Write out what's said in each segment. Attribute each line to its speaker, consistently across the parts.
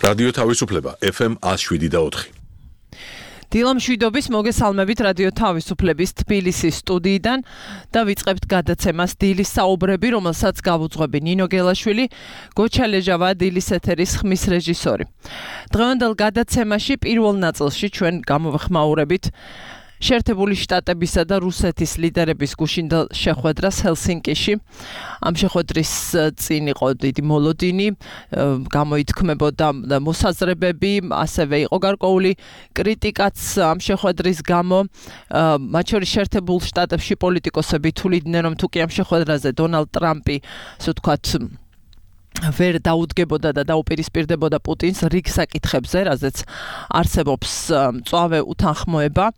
Speaker 1: რადიო თავისუფლება FM 107.4.
Speaker 2: დილამშვიდობის მოგესალმებით რადიო თავისუფლების თბილისის სტუდიიდან და ვიწყებთ გადაცემას დილის საუბრები, რომელსაც გავუძღვები ნინო გელაშვილი, გოჩა ლეჟავა დილის ეთერის ხმის რეჟისორი. დღევანდელ გადაცემაში პირველ ნაწილში ჩვენ გამოვხმაურებით შეერთებული შტატებისა და რუსეთის ლიდერების გუშინდელ შეხვედრას ჰელსინკიში. ამ შეხვედრის წინ იყო დიდი მოლოდინი, გამოითქმებოდა მოსაზრებები, ასევე იყო გარკვეული კრიტიკაც ამ შეხვედრის გამო. მათ შორის შეერთებულ შტატებში პოლიტიკოსები თვლიდნენ, რომ თუ კი ამ შეხვედრაზე დონალდ ტრამპი, ასე ვთქვათ, ვერ დაუდგებოდა და დაუპირისპირდებოდა პუტინს რიგ საკითხებზე, რაზეც არსებობს მწვავე უთანხმოება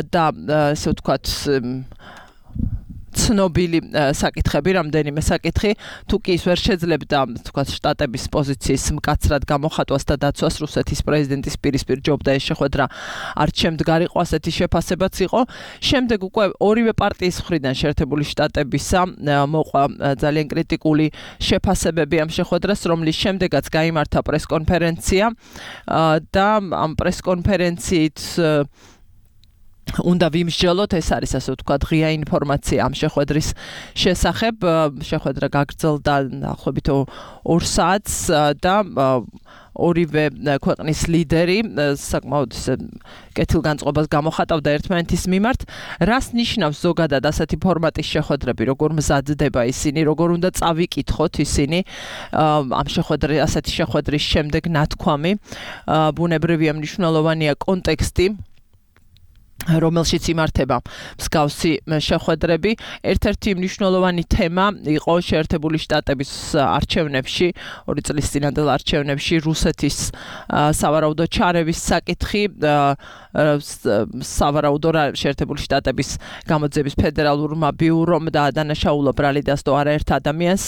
Speaker 2: და ასე ვთქვათ ცნობილი საკითხები, რამდენიმე საკითხი, თუ კი ის ვერ შეძლებდა, თქვათ, შტატების პოზიციის მკაცრად გამოხატვას და დაცვას, რუსეთის პრეზიდენტის პირისპირ ჯობდა ეს შეხვედრა არც შემდგარიყო, ასეთი შეფასებაც იყო. შემდეგ უკვე ორივე პარტიის მხრიდან შეერთებული შტატებისა მოყვა ძალიან კრიტიკული შეფასებები ამ შეხვედრას, რომლის შემდეგაც გაიმართა პრესკონფერენცია და ამ პრესკონფერენციით უნდა ვიმსჯელოთ, ეს არის ასე ვთქვათ ღია ინფორმაცია ამ შეხვედრის შესახებ. შეხვედრა გაგრძელდა დაახლოებით 2 საათს და ორივე ქვეყნის ლიდერი საკმაოდ კეთილგანწყობას გამოხატავდა ერთმანეთის მიმართ. რას ნიშნავს ზოგადად ასეთი ფორმატის შეხვედრები, როგორ მზადდება ისინი, როგორ უნდა წავიკითხოთ ისინი ამ ასეთი შეხვედრის შემდეგ ნათქვამი. ბუნებრივია მნიშვნელოვანია კონტექსტი, რომელშიც იმართება მსგავსი შეხვედრები. ერთ-ერთი მნიშვნელოვანი თემა იყო შეერთებული შტატების არჩევნებში, 2 წლის წინანდელ არჩევნებში რუსეთის სავარაუდო ჩარევის საკითხი. სავარაუდო შეერთებული შტატების გამოძიების ფედერალურმა ბიურომ და დანაშაულო ბრალიდასდო არაერთ ადამიანს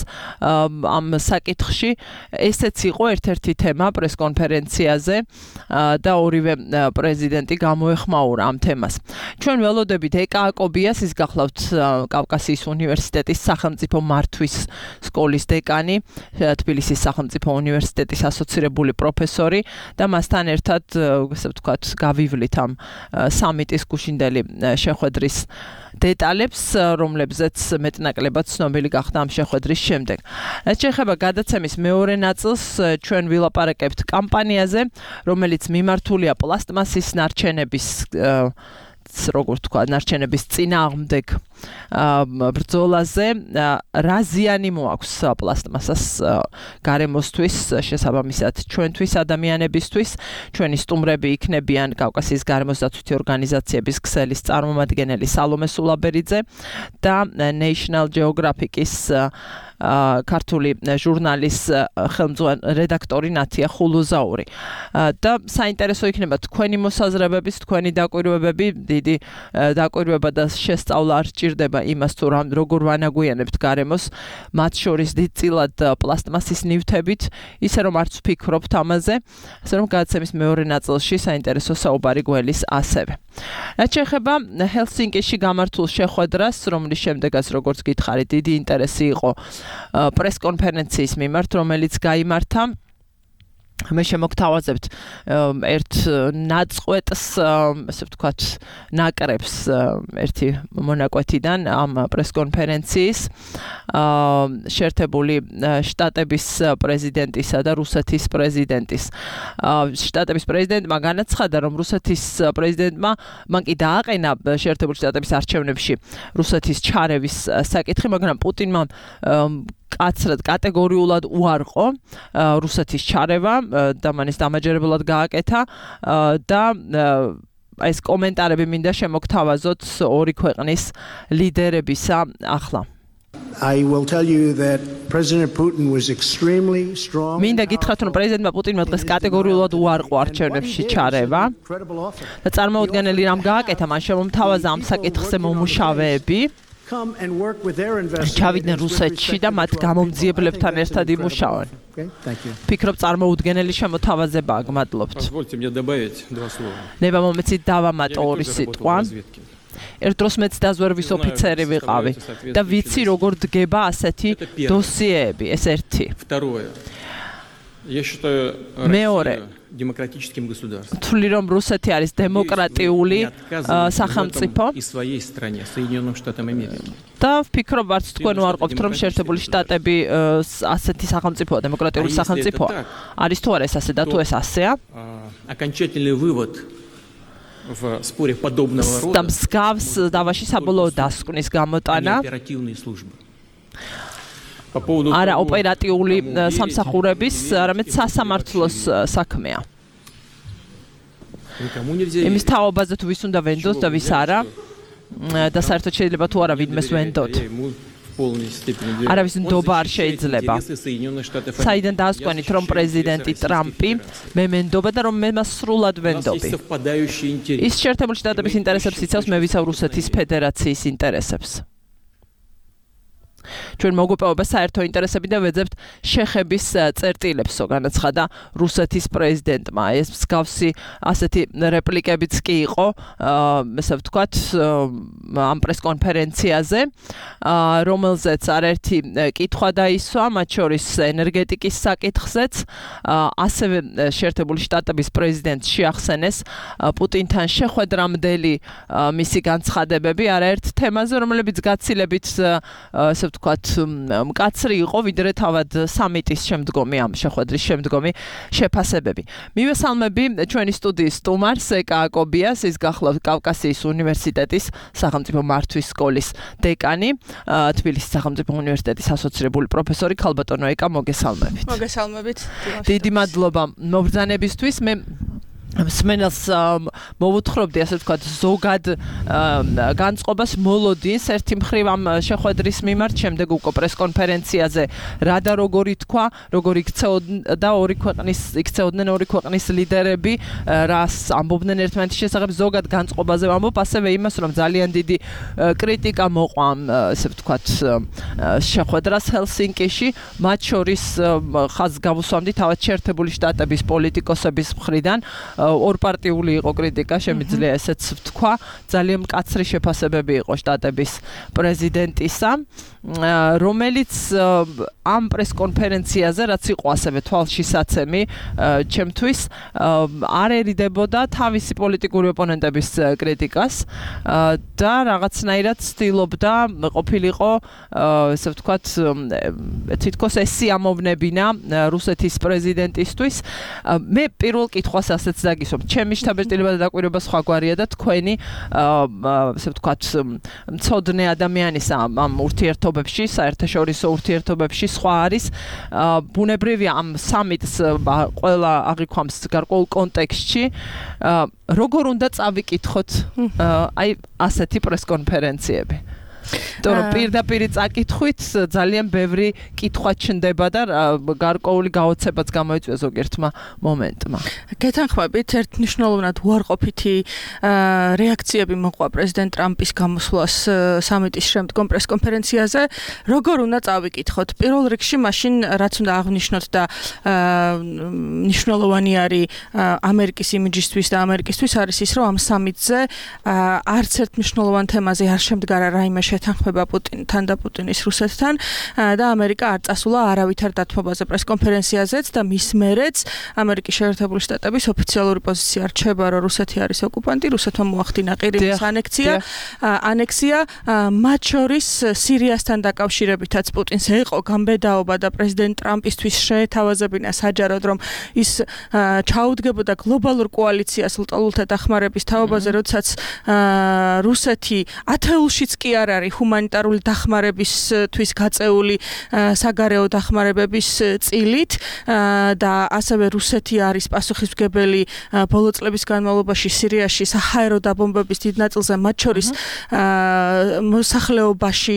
Speaker 2: ამ საკითხში. ესეც იყო ერთ-ერთი თემა პრესკონფერენციაზე და ორივე პრეზიდენტი გამოეხმაურა ამ თემას. ჩვენ ველოდებით ეკა აკობიას, ის გახლავთ კავკასიის უნივერსიტეტის სახელმწიფო მართვის სკოლის დეკანი, თბილისის სახელმწიფო უნივერსიტეტის ასოცირებული პროფესორი და მასთან ერთად, ასე ვთქვათ, გავივლით ამ სამიტის გუშინდელი შეხვედრის დეტალებს, რომლებზეც მეტნაკლებად ცნობილი გახდა ამ შეხვედრის შემდეგ. რაც შეეხება გადაცემის მეორე ნაწილს, ჩვენ ვილაპარაკებთ კამპანიაზე, რომელიც მიმართულია პლასტმასის ნარჩენების როგორ თქვა, ნარჩენების წინააღმდეგ ბრძოლაზე. რა ზიანი მოაქვს პლასტმასას გარემოსთვის, შესაბამისად ჩვენთვის ადამიანებისთვის. ჩვენი სტუმრები იქნებიან კავკასიის გარემოსდაცვითი ორგანიზაციების ქსელის წარმომადგენელი სალომე სულაბერიძე და National Geographic-ის ქართული ჟურნალის რედაქტორი ნათია ხულუზაური. და საინტერესო იქნება თქვენი მოსაზრებების, თქვენი დაკვირვებები, დიდი დაკვირვება და შესწავლა არ სჭირდება იმას, თუ როგორ ვანაგვიანებთ გარემოს, მათ შორის დიდწილად პლასტმასის ნივთებით, ისე რომ არც ვფიქრობთ ამაზე, ასე რომ გადაცემის მეორე ნაწილში საინტერესო საუბარი გველის ასევე. რაც შეეხება ჰელსინკიში გამართულ შეხვედრას, რომლის შემდეგაც, როგორც გითხარით, დიდი ინტერესი იყო პრესკონფერენციის მიმართ, რომელიც გაიმართა. მე შემოგთავაზებთ ერთ ნაწყვეტს, ასე ვთქვათ, ნაკრებს ერთი მონაკვეთიდან ამ პრესკონფერენციის შეერთებული შტატების პრეზიდენტისა და რუსეთის პრეზიდენტის. შტატების პრეზიდენტმა განაცხადა, რომ რუსეთის პრეზიდენტმა მან კი დააყენა შეერთებული შტატების არჩევნებში რუსეთის ჩარევის საკითხი, მაგრამ პუტინმა კაცრად კატეგორიულად უარყო რუსეთის ჩარევა და მან ეს დამაჯერებლად გააკეთა და ეს კომენტარები მინდა შემოგთავაზოთ ორი ქვეყნის ლიდერებისა ახლა.
Speaker 3: I will tell you that President Putin was extremely strong.
Speaker 2: მინდა გითხრათ, რომ პრეზიდენტმა პუტინმა დღეს კატეგორიულად უარყო არჩევნებში ჩარევა და წარმოუდგენელი რამ გააკეთა, მან შემომთავაზა ამ საკითხზე მომუშავეები. ჩავიდნენ რუსეთში და მათ გამომძიებლებთან ერთად იმუშავენ. ფიქრობ წარმოუდგენელი შემოთავაზებაა, გმადლობთ. ნება მომეცით დავამატო ორი სიტყვა. ერთ დროს მეც დაზვერვის ოფიცერი ვიყავი და ვიცი როგორ დგება ასეთი დოსიეები, ეს ერთი.
Speaker 4: Я считаю, Россия демократическим государством.
Speaker 2: თვლი რომ რუსეთი არის დემოკრატიული სახელმწიფო
Speaker 4: и своей стране, Соединенным Штатам Америки.
Speaker 2: და ვფიქრობ არც თქვენ უარყოფთ რომ შეერთებული შტატები ასეთი სახელმწიფოა, დემოკრატიული სახელმწიფოა. არის თუ არა ეს ასე და თუ ეს ასეა?
Speaker 4: Окончательный вывод в споре подобного рода.
Speaker 2: და მსგავს დავაში საბოლოო დასკვნის გამოტანა
Speaker 4: оперативные службы.
Speaker 2: არა ოპერატიული სამსახურების, არამედ სასამართლოს საქმეა. იმის თაობაზე თუ ვის უნდა ვენდოთ და ვის არა და საერთოდ შეიძლება თუ არა ვინმეს ვენდოთ. არავის ნდობა არ შეიძლება. საიდან დაასკვენით რომ პრეზიდენტი ტრამპი მე მენდობა და რომ მე მას სრულად ვენდობი. ის შეერთებული შტატების ინტერესებს იცავს, მე ვიცავ რუსეთის ფედერაციის ინტერესებს. ჩვენ მოგვეპოვება საერთო ინტერესები და ვეძებთ შეხების წერტილებს, განაცხადა რუსეთის პრეზიდენტმა. ეს მსგავსი ასეთი რეპლიკებიც კი იყო, ესე ვთქვათ, ამ პრესკონფერენციაზე, რომელზეც არაერთი კითხვა დაისვა, მათ შორის ენერგეტიკის საკითხზეც, ასევე შეერთებული შტატების პრეზიდენტს შეახსენეს პუტინთან შეხვედრამდელი მისი განცხადებები არაერთ თემაზე, რომლებიც გაცილებით ესე ვთქვათ, მკაცრი იყო, ვიდრე თავად სამიტის შემდგომი, ამ შეხვედრის შემდგომი შეფასებები. მივესალმები ჩვენი სტუდიის სტუმარს, ეკა აკობიას, ის გახლავთ კავკასიის უნივერსიტეტის სახელმწიფო მართვის სკოლის დეკანი, თბილისის სახელმწიფო უნივერსიტეტის ასოცირებული პროფესორი ქალბატონო ეკა, მოგესალმებით.
Speaker 5: მოგესალმებით.
Speaker 2: დიდი მადლობა მობრძანებისთვის. მე მსმენელს მოვუთხრობდი, ასე ვთქვათ, ზოგად განწყობას მოლოდინს ერთი მხრივ ამ შეხვედრის მიმართ, შემდეგ უკვე პრესკონფერენციაზე რა და როგორი თქვა, როგორი იქცეოდა იქცეოდნენ ორი ქვეყნის ლიდერები, რას ამბობდნენ ერთმანეთის შესახებ, ზოგად განწყობაზე ვამბობ, ასევე იმას, რომ ძალიან დიდი კრიტიკა მოყვა, ასე ვთქვათ, შეხვედრას ჰელსინკიში, მათ შორის ხაზს გავუსვამდი თავად შეერთებული შტატების პოლიტიკოსების მხრიდან. ორპარტიული იყო კრიტიკა, შემიძლია ესეც ვთქვა, ძალიან მკაცრი შეფასებები იყო შტატების პრეზიდენტისა, რომელიც ამ პრესკონფერენციაზე, რაც იყო ასევე თვალშისაცემი ჩემთვის, არ ერიდებოდა თავისი პოლიტიკური ოპონენტების კრიტიკას და რაღაცნაირად ცდილობდა ყოფილიყო, ესე ვთქვათ, თითქოს ეს სიამოვნებინა რუსეთის პრეზიდენტისთვის. მე პირველ კითხვას ასეც დაგისვამ, ჩემი შთაბეჭდილება და დაკვირვება სხვაგვარია და თქვენი, ესე ვთქვათ, მცოდნე ადამიანის ამ ურთიერთობებში, საერთაშორისო ურთიერთობებში სხვა არის. ბუნებრივია ამ სამიტს ყველა აღიქვამს გარკვეულ კონტექსტში. როგორ უნდა წავიკითხოთ აი ასეთი პრესკონფერენციები? თორემ პირდაპირ წაკითხვით ძალიან ბევრი კითხვა ჩნდება და გარკვეული გაოცებაც გამოიწვია ზოგიერთმა მომენტმა.
Speaker 5: გეთანხმებით, ერთნიშნულოვნად უარყოფითი რეაქციები მოყვა პრეზიდენტ ტრამპის გამოსვლას სამიტის შემდგომ პრესკონფერენციაზე. როგორ უნდა წავიკითხოთ? პირველ რიგში მაშინ რაც უნდა აღნიშნოთ და მნიშვნელოვანი არის ამერიკის იმიჯისთვის და ამერიკისთვის არის ის, რომ ამ სამიტზე არც ერთ მნიშვნელოვან თემაზე არ შემდგარა რაიმე შეთანხმება პუტინთან და პუტინის რუსეთთან და ამერიკა არ წასულა არავითარ დათმობაზე პრესკონფერენციაზეც და მის მერეც ამერიკის შეერთებული შტატების ოფიციალური პოზიცია რჩება, რომ რუსეთი არის ოკუპანტი, რუსეთმა მოახდინა ყირიმის ანექსია, მათ შორის სირიასთან დაკავშირებითაც პუტინს ეყო გამბედაობა და პრეზიდენტ ტრამპისთვის შეეთავაზებინა საჯაროდ, რომ ის ჩაუდგებოდა გლობალურ კოალიციას ლტოლულთა დახმარების თაობაზე, როდესაც რუსეთი ათეულშიც კი არ არის ჰუმანიტარული დახმარებისთვის გაწეული საგარეო დახმარებების წილით და ასევე რუსეთი არის პასუხისმგებელი ბოლო წლების განმავლობაში სირიაში საჰაერო დაბომბების დიდ ნაწილზე, მათ შორის მოსახლეობაში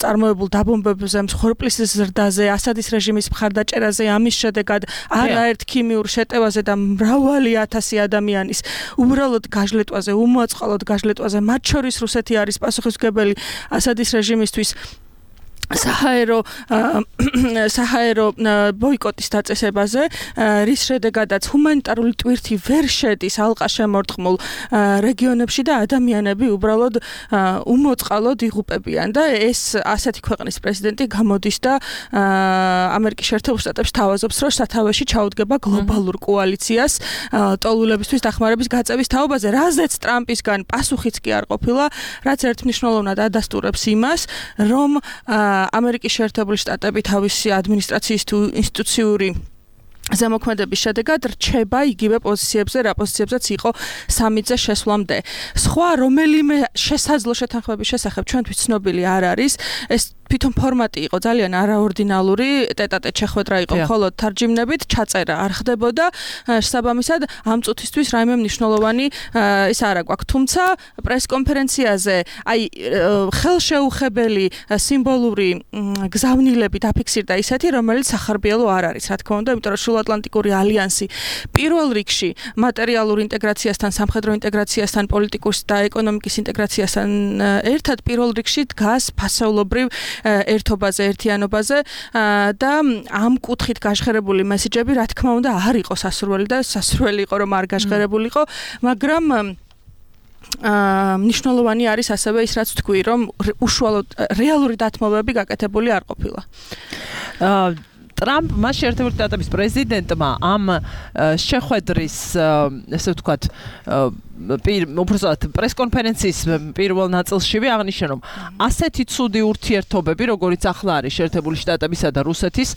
Speaker 5: წარმოებულ დაბომბებზე, მსხვერპლის ზრდაზე, ასადის რეჟიმის მხარდაჭერაზე, ამის შედეგად არაერთ ქიმიურ შეტევაზე და მრავალი ათასი ადამიანის უბრალოდ გაჟლეტვაზე, უმოწყალოდ გაჟლეტვაზე, მათ შორის რუსეთი არის პასუხისმგებელი ასადის რეჟიმისთვის. საჰაერო ბოიკოტის დაწესებაზე, რის შედეგადაც ჰუმანიტარული ტვირთი ვერ შედის ალყა შემორტყმულ რეგიონებში და ადამიანები უბრალოდ უმოწყალოდ იღუპებიან და ეს ასეთი ქვეყნის პრეზიდენტი გამოდის და ამერიკის შეერთებულ შტატებში თავაზობს, რომ სათავეში ჩაუდგება გლობალურ კოალიციას ტოლულებისთვის დახმარების გაწევის თაობაზე, რაზეც ტრამპისგან პასუხიც კი არ ყოფილა, რაც ერთმნიშვნელოვნად ადასტურებს იმას, რომ ამერიკის შეერთებული შტატები თავისი ადმინისტრაციის თუ ინსტიტუციური ზემოქმედების შედეგად რჩება იგივე პოზიციებზე, რა პოზიციებზეც იყო სამიტზე შესვლამდე. სხვა რომელიმე შესაძლო შეთანხმების შესახებ ჩვენთვის ცნობილი არ არის. ეს თვითონ ფორმატი იყო ძალიან არაორდინალური, ტეტ-ატეტ შეხვედრა იყო, მხოლოდ თარჯიმნებით ჩაწერა არ ხდებოდა. შესაბამისად, ამ წუთისთვის რაიმე მნიშვნელოვანი ის არ აქვს. თუმცა პრესკონფერენციაზე აი ხელშეუხებელი სიმბოლური გზავნილები დაფიქსირდა ისეთი, რომელიც სახარბიელო არ არის, რა თქმა უნდა, იმიტომ რომ სრულატლანტიკური ალიანსი პირველ რიგში მატერიალურ ინტეგრაციასთან, სამხედრო ინტეგრაციასთან, პოლიტიკურ და ეკონომიკის ინტეგრაციასთან ერთად პირველ რიგში დგას ფასეულობრივ ერთობაზე, ერთიანობაზე და ამ კუთხით გაშხერებული მესიჯები, რა თქმა უნდა, არ იყო სასურველი და სასურველი იყო, რომ არ გაშხერებულიყო, მაგრამ მნიშვნელოვანი არის ასევე ის, რაც თქვი, რომ უშუალოდ რეალური დათმობები გაკეთებული არ ყოფილა.
Speaker 2: ტრამპმა შეერთებული შტატების პრეზიდენტმა ამ შეხვედრის, ესე ვთქვათ, უბრალოდ პრესკონფერენციის პირველ ნაწილშივე აღნიშნა, რომ ასეთი ცუდი ურთიერთობები, როგორიც ახლა არის შეერთებული შტატებისა და რუსეთის,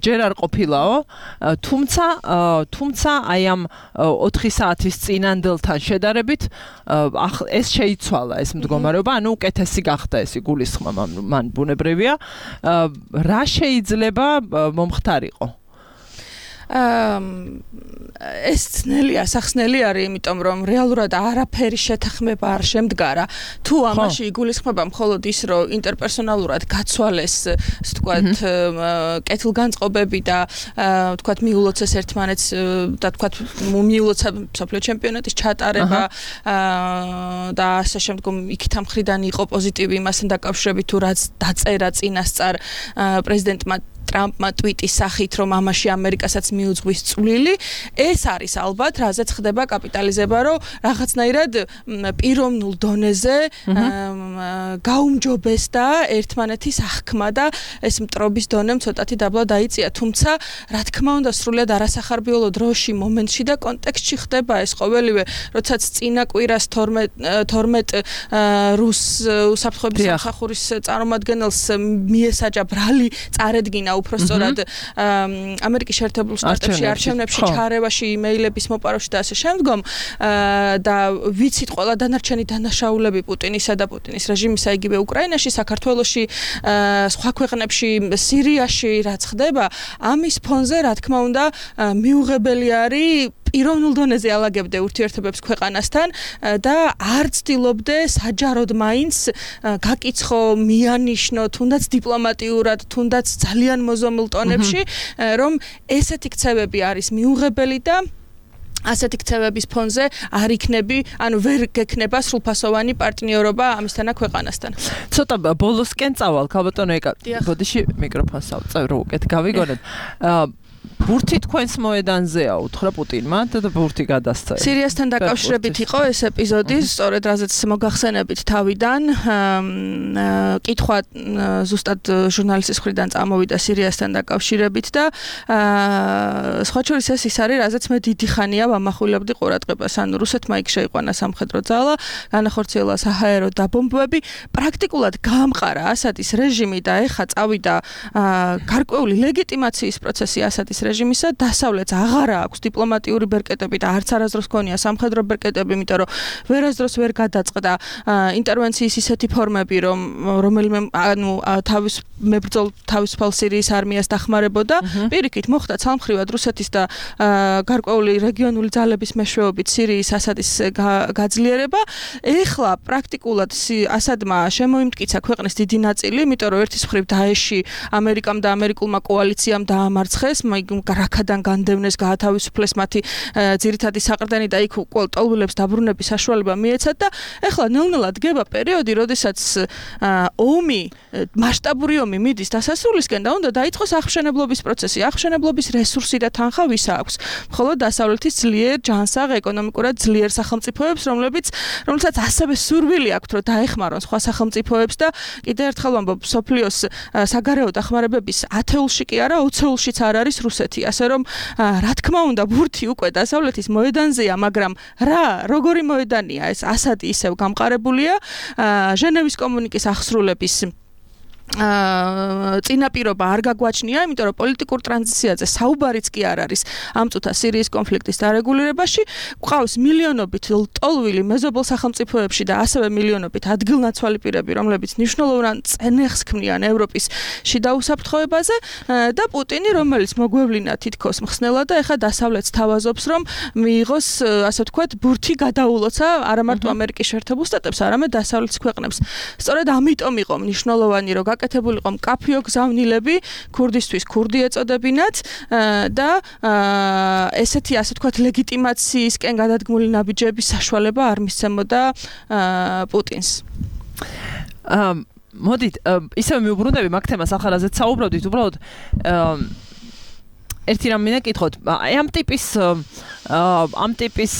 Speaker 2: ჯერ არ ყოფილაო, თუმცა აი ამ 4 საათის წინანდელთან შედარებით ეს შეიცვალა ეს მდგომარეობა, ანუ უკეთესი გახდა ეს იგულისხმა მან ბუნებრივია. რა შეიძლება მომხდარიყო?
Speaker 5: ეს ძნელია, სახსნელი არის, იმიტომ რომ რეალურად არაფერი შეთანხმება არ შემდგარა. თუ ამაში იგულისხმება მხოლოდ ის, რომ ინტერპერსონალურად გაცვალეს, ასე ვთქვათ, კეთილგანწყობები და ვთქვათ, მიულოცეს ერთმანეთს და ვთქვათ, მიულოცა მსოფლიო ჩემპიონატის ჩატარება და ასე შემდგომ იქით ამ მხრიდან იყო პოზიტივი იმასთან დაკავშირებით, თუ რაც დაწერა წინასწარ პრეზიდენტმა ტრამპმა ტვიტის სახით, რომ ამაში ამერიკასაც მიუძღვის წვლილი, ეს არის ალბათ, რაზეც ხდება კაპიტალიზება, რომ რაღაცნაირად პიროვნულ დონეზე გაუმჯობესდა ერთმანეთის აღქმა და ეს მტრობის დონემ ცოტათი დაბლა დაიწია, თუმცა რა თქმა უნდა სრულად არასახარბიელო დროში, მომენტში და კონტექსტში ხდება ეს ყოველივე, როდესაც წინა კვირას 12 რუს უსაფრთხოების სამსახურის წარმომადგენელს მიესაჯა ბრალი წარედგინა უпростоრად ამერიკის შეერთებულ შტატებში არჩევნებში ჩარევაში, იმეილების მოპარვაში და ასე შემდგომ და ვიცით ყველა დანარჩენი დანაშაულები პუტინისა და პუტინის რეჟიმისა, იგივე უკრაინაში, საქართველოში, სხვა ქვეყნებში, სირიაში რაც ხდება, ამის ფონზე რა თქმა უნდა მიუღებელი არის პიროვნულ დონეზე ალაგებდე ურთიერთობებს ქვეყანასთან და არ ცდილობდე საჯაროდ მაინც გაკიცხო, მიანიშნო, თუნდაც დიპლომატიურად, თუნდაც ძალიან მოზომილ ტონებში, რომ ესეთი ქცევები არის მიუღებელი და ასეთი ქცევების ფონზე არ იქნები, ანუ ვერ გექნება სრულფასოვანი პარტნიორობა ამისთანა ქვეყანასთან.
Speaker 2: ცოტა ბოლოსკენ წავალ, ქალბატონო ეკა. ბოდიში მიკროფონს ავწევ, რომ უკეთ გავიგონოთ. ბურთი თქვენს მოედანზეა, უთხრა პუტინმა და ბურთი გადასცა.
Speaker 5: სირიასთან დაკავშირებით იყო ეს ეპიზოდი, სწორედ რაზეც მოგახსენებით თავიდან. კითხვა ზუსტად ჟურნალისტის მხრიდან წამოვიდა სირიასთან დაკავშირებით და სხვა შორის ეს ის არის, რაზეც მე დიდი ხანია ვამახვილებდი ყურადღებას. ანუ რუსეთმა იქ შეიყვანა სამხედრო ძალა, განახორციელა საჰაერო დაბომბვები, პრაქტიკულად გაამყარა ასადის რეჟიმი და ეხა წავიდა გარკვეული ლეგიტიმაციის პროცესი ასადის რეჟიმისა, დასავლეთს აღარა აქვს დიპლომატიური ბერკეტები და არც არასდროს ქონია სამხედრო ბერკეტები, იმიტომ რომ ვერასდროს ვერ გადაწყდა ინტერვენციის ისეთი ფორმები, რომელიმე ანუ თავისუფალ სირიის არმიას დახმარებოდა. პირიქით მოხდა ცალმხრივად რუსეთის და გარკვეული რეგიონული ძალების მეშვეობით სირიის ასადის გაძლიერება. ეხლა პრაქტიკულად ასადმა შემოიმტკიცა ქვეყნის დიდი ნაწილი, იმიტომ რომ ერთის მხრივ დაეში ამერიკამ და ამერიკულმა კოალიციამ დაამარცხეს, რაქადან განდევნეს, გაათავისუფლეს მათი ძირითადი საყრდენი და იქ ყოველტოლვილებს დაბრუნების საშუალება მიეცათ და ეხლა ნელ-ნელა დგება პერიოდი, როდესაც ომი, მასშტაბური ომი მიდის დასასრულისკენ და უნდა დაიწყოს აღმშენებლობის პროცესი. აღმშენებლობის რესურსი და თანხა ვის აქვს? მხოლოდ დასავლეთის ძლიერ ჯანსაღ ეკონომიკურად ძლიერ სახელმწიფოებს, რომლებსაც ასევე სურვილი აქვთ, რომ დაეხმარონ სხვა სახელმწიფოებს და კიდევ ერთხელ ვამბობ, სოფლიოს საგარეო დახმარებების 10-ულში კი არა, 20-ულშიც არ არის რუსეთი. ასე რომ რა თქმა უნდა, ბურთი უკვე დასავლეთის მოედანზეა, მაგრამ როგორი მოედანია ეს? ასადი ისევ გამყარებულია. ჟენევის კომუნიკის აღსრულების წინაპირობა არ გაგვაჩნია, იმიტომ რომ პოლიტიკურ ტრანზიციაზე საუბარიც კი არ არის ამ წუთა სირიის კონფლიქტის დარეგულირებაში. გვყავს მილიონობით ლტოლვილი მეზობელ სახელმწიფოებში და ასევე მილიონობით ადგილნაცვალი პირები, რომლებიც მნიშვნელოვან წენეხს ქმნიან ევროპის შიდა უსაფრთხოებაზე და პუტინი, რომელიც მოგვევლინა თითქოს მხსნელად და ეხა დასავლეთს თავაზობს, რომ მიიღოს, ასე ვთქვათ, ბურთი გადაულოცა არა მარტო ამერიკის შეერთებულ შტატებს, არამედ დასავლეთის ქვეყნებს. სწორედ ამიტომ იყო მნიშვნელოვანი, რომ გაკეთებულიყო მკაფიო გზავნილები ქურდისთვის ქურდი ეწოდებინათ და ესეთი, ასე ვთქვათ, ლეგიტიმაციისკენ გადადგმული ნაბიჯების საშუალება არ მისცემოდა პუტინს.
Speaker 2: მოდით, ისევ მიუბრუნდები მაგ თემას, ახლა რაზეც საუბრობდით, უბრალოდ ერთი რამ მინდა კითხოთ, ამ ტიპის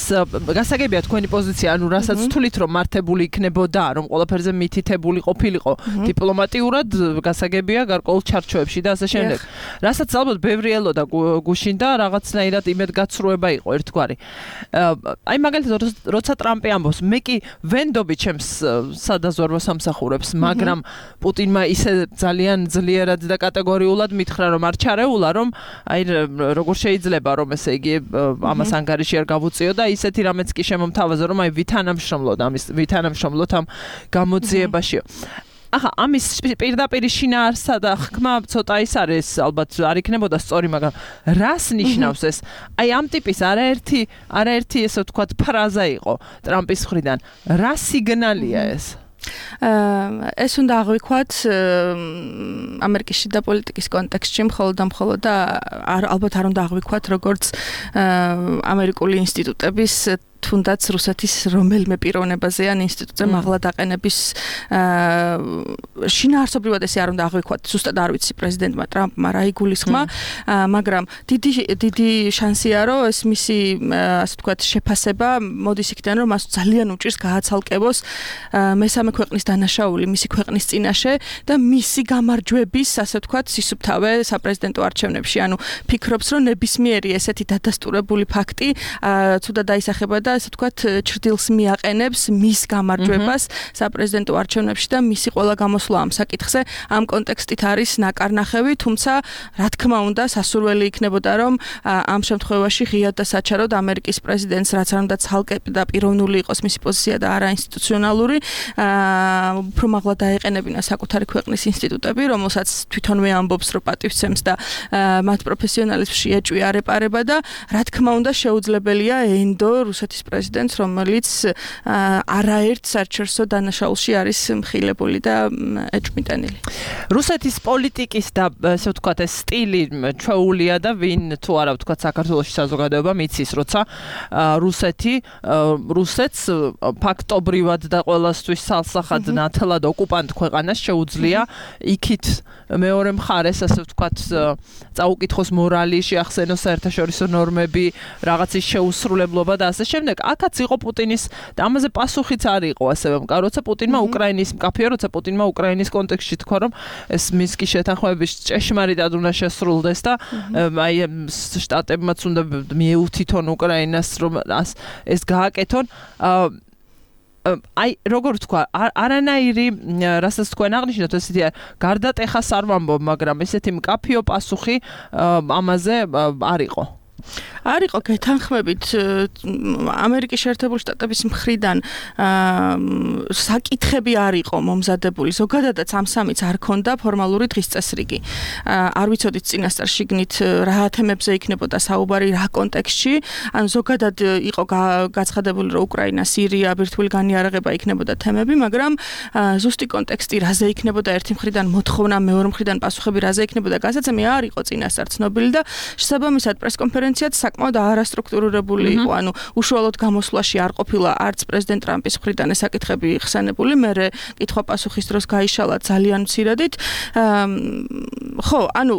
Speaker 2: გასაგებია თქვენი პოზიცია, ანუ რასაც თulit რომ მართებული იქნებოდა, რომ ყველაფერზე მითითებული ყოფილიყო დიპლომატიურად, გასაგებია გარკვეულ ჩარჩოებში და ასე შემდეგ. რასაც ალბათ ბევრი ელოდა გუშინ და რაღაცნაირად იმედგაცრუება იყო ერთგვარი. აი მაგალითად, როცა ტრამპი ამბობს, მე კი ვენდობი ჩემს სადაზვერვო სამსახურებს, მაგრამ პუტინმა ისე ძალიან ძლიერად და კატეგორიულად მითხრა, რომ არ ჩარეულა, რომ აი როგორ შეიძლება რომ ესე იგი ამას ანგარიში არ გავუწიო და ისეთი რამეც კი შემომთავაზა რომ აი ვითანამშრომლოთ ამ გამოძიებაშიო. ახლა ამის პირდაპირ შინაარსა და ხმა ცოტა ის არის, ალბათ არ იქნებოდა სწორი, მაგრამ რას ნიშნავს ეს? აი ამ ტიპის არაერთი ესე ვთქვათ ფრაზა იყო ტრამპის მხრიდან. რა სიგნალია ეს?
Speaker 5: ეს უნდა აღვიქვათ ამერიკის შიდა პოლიტიკის კონტექსტში მხოლოდ და ალბათ არ უნდა აღვიქვათ როგორც ამერიკული ინსტიტუტების თუნდაც რუსეთის რომელიმე პიროვნებაზე ან ინსტიტუტზე მაღლა დაყენების შინაარსობრივად ესე არ უნდა აღვიქვათ. ზუსტად არ ვიცი პრეზიდენტმა ტრამპმა რა იგულისხმა, მაგრამ დიდი შანსია რომ ეს მისი ასე ვთქვათ შეფასება მოდის იქიდან, რომ მას ძალიან უჭირს გააცალკევოს მესამე ქვეყნის დანაშაული მისი ქვეყნის წინაშე და მისი გამარჯვების ასე ვთქვათ სისუფთავე საპრეზიდენტო არჩევნებში. ანუ ფიქრობს, რომ ნებისმიერი ესეთი დადასტურებული ფაქტი ცუდად დაისახება და ასე ვთქვათ, ჩრდილს მიაყენებს მის გამარჯვებას საპრეზიდენტო არჩევნებში და მისი ყველა გამოსვლა ამ საკითხზე ამ კონტექსტით არის ნაკარნახევი, თუმცა რა თქმა უნდა სასურველი იქნებოდა, რომ ამ შემთხვევაში ღიად და საჩაროდ ამერიკის პრეზიდენტს რაც არ უნდა ცალკე და პიროვნული იყოს მისი პოზიცია და არა ინსტიტუციონალური, უფრო მაღლა დაეყენებინა საკუთარი ქვეყნის ინსტიტუტები, რომელსაც თვითონვე ამბობს, რომ პატივცემს და მათ პროფესიონალიზმში ეჭვი არ ეპარება და რა თქმა უნდა შეუძლებელია ენდო რუსეთის პრეზიდენტს, რომელიც არაერთ საერთაშორისო დანაშაულში არის მხილებული და ეჭვმიტანილი.
Speaker 2: რუსეთის პოლიტიკის და ესე ვთქვათ ეს სტილი ჩვეულია და ვინ თუ არა ვთქვათ საქართველოში საზოგადოება მიცის, როცა რუსეთს ფაქტობრივად და ყველასთვის სალსახად ნათლად ოკუპანტ ქვეყანას შეუძლია იქით მეორე მხარეს ასე ვთქვათ წაუკითხოს მორალი, შეახსენოს საერთაშორისო ნორმები, რაღაცის შეუსრულებლობა და ასე შემდეგ. აქაც იყო პუტინის და ამაზე პასუხიც არ იყო ასევე მკაფიო, როცა პუტინმა უკრაინის კონტექსტში თქვა, რომ ეს მინსკის შეთანხმების ჭეშმარიტად უნდა შესრულდეს და აი შტატებმაც უნდა მიეუთითონ უკრაინას, რომ ეს გააკეთონ. აი როგორ თქვა, არანაირი რასაც თქვენ აღნიშნოთ, ესეთი გარდატეხას არ ვამბობ, მაგრამ ესეთი მკაფიო პასუხი ამაზე არ იყო.
Speaker 5: არ იყო გეთანხმებით ამერიკის შეერთებული შტატების მხრიდან საკითხები არ იყო მომზადებული. ზოგადადაც ამ სამიც არ ქონდა ფორმალური დღის წესრიგი. არ ვიცოდით წინასწარ შიგნით რა თემებზე იქნებოდა საუბარი, რა კონტექსტში. ანუ ზოგადად იყო გაცხადებული, რომ უკრაინა, სირია, ბირთვული განიარაღება იქნებოდა თემები, მაგრამ ზუსტი კონტექსტი რაზე იქნებოდა ერთი მხრიდან მოთხოვნა, მეორე მხრიდან პასუხები რაზე იქნებოდა გასაცემი არ იყო წინასწარ ცნობილი და შესაბამისად პრესკონფერენციაც საკმაოდ არასტრუქტურირებული იყო. ანუ უშუალოდ გამოსვლაში არ ყოფილა არც პრეზიდენტ ტრამპის მხრიდან ეს საკითხები ხსენებული, მერე კითხვა-პასუხის დროს გაიშალა ძალიან მცირედით. ხო, ანუ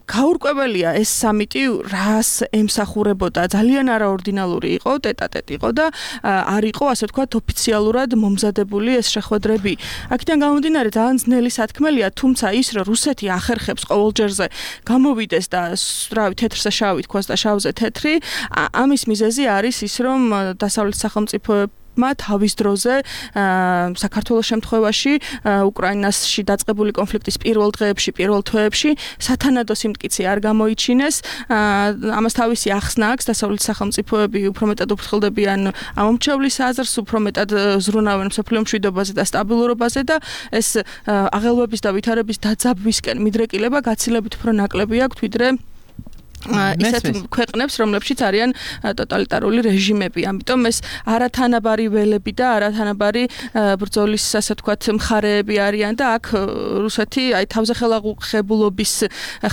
Speaker 5: გაურკვეველია ეს სამიტი რას ემსახურებოდა, ძალიან არაორდინალური იყო, ტეტ-ა-ტეტ იყო და არ იყო, ასე ვთქვათ, ოფიციალურად მომზადებული ეს შეხვედრები. აქედან გამომდინარე ძალიან ძნელი სათქმელია, თუმცა ის, რომ რუსეთი ახერხებს ყოველჯერზე გამოვიდეს და რავი, თეთრზე შავი თქვას და შავზე თეთრი, ამის მიზეზი არის ის, რომ დასავლეთის სახელმწიფოები თავის დროზე საქართველოს შემთხვევაში უკრაინაში დაწყებული კონფლიქტის პირველ დღეებში, პირველ თვეებში სათანადო სიმტკიცე არ გამოიჩინეს. ამას თავისი ახსნა აქვს, დასავლეთის სახელმწიფოები უფრო მეტად უფრთხილდებიან ამომრჩევლის აზრს, უფრო მეტად ზრუნავენ მსოფლიო მშვიდობაზე და სტაბილურობაზე და ეს აღელვების და ვითარების დაძაბვისკენ მიდრეკილება გაცილებით უფრო ნაკლები აქვს, ვიდრე ისეთ ქვეყნებს, რომლებშიც არიან ტოტალიტარული რეჟიმები. ამიტომ ეს არათანაბარი ველები და არათანაბარი ბრძოლის, ასე ვთქვათ, მხარეები არიან და აქ რუსეთი აი თავზე ხელაღუხებულობის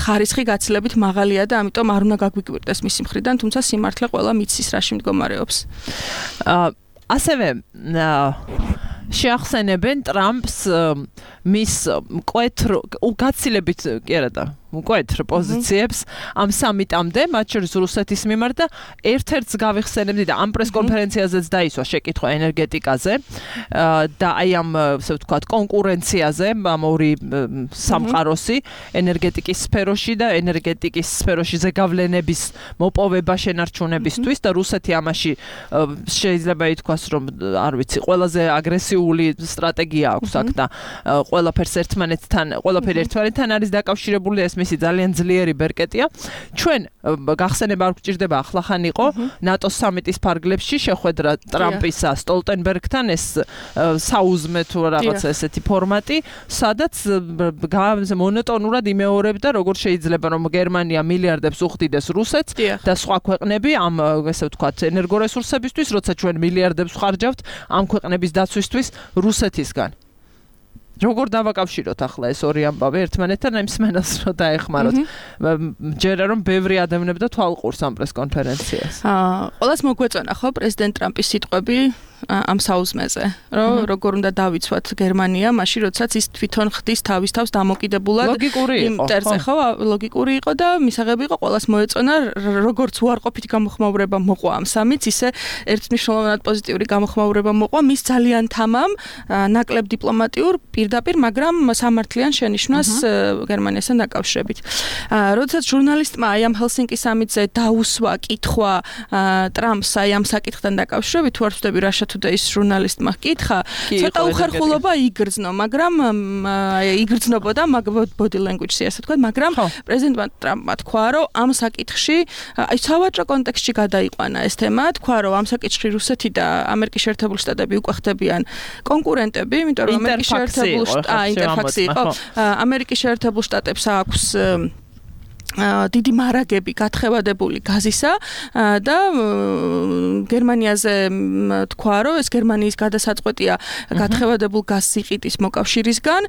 Speaker 5: ხარისხი გაცილებით მაღალია და ამიტომ არ უნდა გაგვიკვირდეს მისი მხრიდან, თუმცა სიმართლე ყველა მიცის რაში მდგომარეობს.
Speaker 2: ასევე შეახსენებენ ტრამპს მის მკვეთრ გაცილებით კი არა და მკვეთრ პოზიციებს ამ სამიტამდე, მათ შორის რუსეთის მიმართ და ერთ-ერთს გავიხსენებდი და ამ პრესკონფერენციაზეც დაისვა შეკითხვა ენერგეტიკაზე და აი ამ, ასე ვთქვათ, კონკურენციაზე, ამ ორი სამყაროსი, ენერგეტიკის სფეროში და ენერგეტიკის სფეროში ზეგავლენების მოპოვება შენარჩუნებისთვის და რუსეთი ამაში შეიძლება ითქვას, რომ არ ვიცი, ყველაზე აგრესიული სტრატეგია აქვს აქ და ყველაფერი ერთმანეთთან არის დაკავშირებული ეს მისი ძალიან ძლიერი ბერკეტია. ჩვენ გახსენება არ გვჭირდება ახლახან იყო ნატოს სამიტის ფარგლებში შეხვედრა ტრამპისა სტოლტენბერგთან ეს საუზმე თუ რაღაცა ესეთი ფორმატი, სადაც მონოტონურად იმეორებდა როგორ შეიძლება რომ გერმანია მილიარდებს უხდიდეს რუსეთს და სხვა ქვეყნები ამ ესე ვთქვათ ენერგორესურსებისთვის, როცა ჩვენ მილიარდებს ვხარჯავთ ამ ქვეყნების დაცვისთვის რუსეთისგან. როგორ დავაკავშიროთ ახლა ეს ორი ამბავი ერთმანეთთან, აი მსმენელს რო დაეხმაროთ. ჯერა რომ ბევრი ადამიანებდა თვალყურს ამ პრესკონფერენციას.
Speaker 5: ყველას მოგვეწონა ხო პრეზიდენტ ტრამპის სიტყვები ამ საუზმეზე, რომ როგორ უნდა დავიცვათ გერმანია, მაშინ როდესაც ის თვითონ ხდის თავის თავს დამოკიდებულად იმ წერზე, ხო, ლოგიკური იყო და მისაღები იყო, ყველას მოეწონა, როგორც უარყოფითი გამოხმაურება მოყვა ამ სამიც, ისე ერთმნიშვნელოვნად პოზიტიური გამოხმაურება მოყვა მის ძალიან თამამ, ნაკლებ დიპლომატიურ, პირდაპირ, მაგრამ სამართლიან შენიშვნას გერმანიასთან დაკავშირებით. როდესაც ჟურნალისტმა აი ამ ჰელსინკის სამიტზე დაუსვა კითხვა ტრამპს აი ამ საკითხთან დაკავშირებით, თუ არ ვწდები რა და ის ჟურნალისტმა ჰკითხა, ცოტა უხერხულობა იგრძნო, მაგრამ იგრძნობოდა body language-ი, ასე ვთქვათ, მაგრამ პრეზიდენტმა ტრამპმა თქვა, რომ ამ საკითხში, აი სავაჭრო კონტექსტში გადაიყვანა ეს თემა, თქვა, რომ ამ საკითხში რუსეთი და ამერიკის შეერთებული შტატები უკვე ხდებიან კონკურენტები, იმიტომ რომ ამერიკის შეერთებული ინტერფაქსი იყო, ამერიკის შეერთებულ შტატებს აქვს დიდი მარაგები გათხევადებული გაზისა და გერმანიაზე თქვა, რომ ეს გერმანიის გადასაწყვეტია გათხევადებულ გაზს იყიდვის მოკავშირისგან,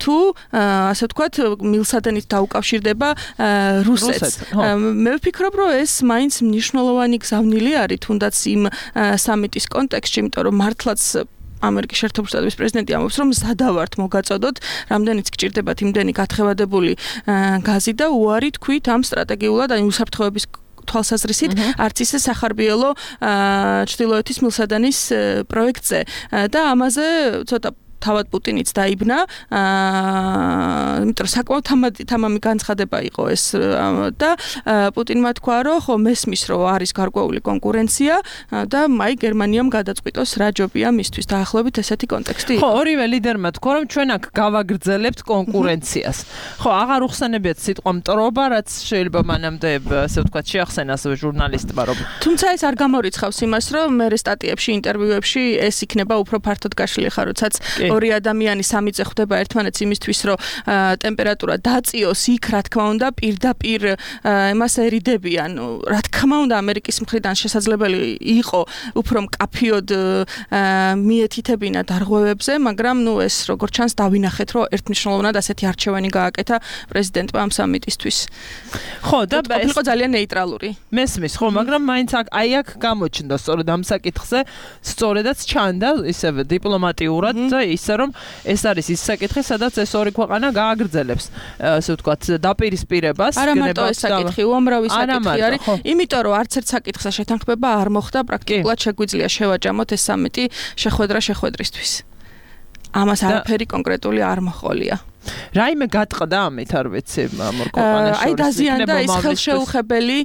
Speaker 5: თუ ასე ვთქვათ, მილსადენით დაუკავშირდება რუსეთს. მე ვფიქრობ, რომ ეს მაინც მნიშვნელოვანი გზავნილი არის, თუნდაც იმ სამიტის კონტექსტში, იმიტომ რომ მართლაც ამერიკის შეერთებული შტატების პრეზიდენტი ამბობს, რომ სადავართ მოგაწოდოთ, რამდენიც გჭირდებათ იმდენი გათხევადებული გაზი და უარი თქვით ამ სტრატეგიულად, აი უსაფრთხოების თვალსაზრისით, არც ისე სახარბიელო ჩრდილოეთის მილსადენის პროექტზე და ამაზე ცოტა თავად პუტინიც დაიბნა, იმიტომ რომ საკმაოდ თამამი განცხადება იყო ეს და პუტინმა თქვა, რომ ხო მესმის, რომ არის გარკვეული კონკურენცია და აი გერმანიამ გადაწყვიტოს რა ჯობია მისთვის დაახლოებით ესეთი კონტექსტი იყო.
Speaker 2: ხო, ორივე ლიდერმა თქვა, რომ ჩვენ აქ გავაგრძელებთ კონკურენციას. ხო, აღარ უხსენებიათ სიტყვა მტრობა, რაც შეიძლება მანამდე ასე ვთქვათ შეახსენას ჟურნალისტმა, რომ
Speaker 5: თუმცა ეს არ გამორიცხავს იმას, რომ მე სტატიებში, ინტერვიუებში ეს იქნება უფრო ფართოდ გაშლილი ხარ, როდესაც ორი ადამიანი სამიწე ხვდება ერთმანეთს იმისთვის, რომ ტემპერატურა დაწიოს იქ, რა თქმა უნდა, პირდაპირ იმას ერიდებიან. რა თქმა უნდა, ამერიკის მხრიდან შესაძლებელი იყო უფრო მკაფიოდ მიეთითებინა დარღვევებზე, მაგრამ ეს როგორც ჩანს დავინახეთ, რომ ერთმნიშვნელოვნად ასეთი არჩევანი გააკეთა პრეზიდენტმა ამ სამიტისთვის.
Speaker 2: ხო, და
Speaker 5: იყო ძალიან ნეიტრალური.
Speaker 2: მესმის, ხო, მაგრამ მაინც აქ გამოჩნდა სწორედ ამ საკითხზე, სწორედაც ჩანდა ისევ დიპლომატიურად და ისე რომ ეს არის ის საკითხი, სადაც ეს ორი ქვეყანა გააგრძელებს, ასე ვთქვათ, დაპირისპირებას.
Speaker 5: არა მარტო ეს საკითხი, უამრავი საკითხი არის, იმიტომ რომ არც ერთ საკითხზე შეთანხმება არ მოხდა, პრაქტიკულად შეგვიძლია შევაჯამოთ ეს სამიტი შეხვედრისთვის. ამას არაფერი კონკრეტული არ მოხოლია.
Speaker 2: რაიმე გატყდა ამით არ ვიცი მორ ქვეყანაში
Speaker 5: აი დაზიანდა ის ხელშეუხებელი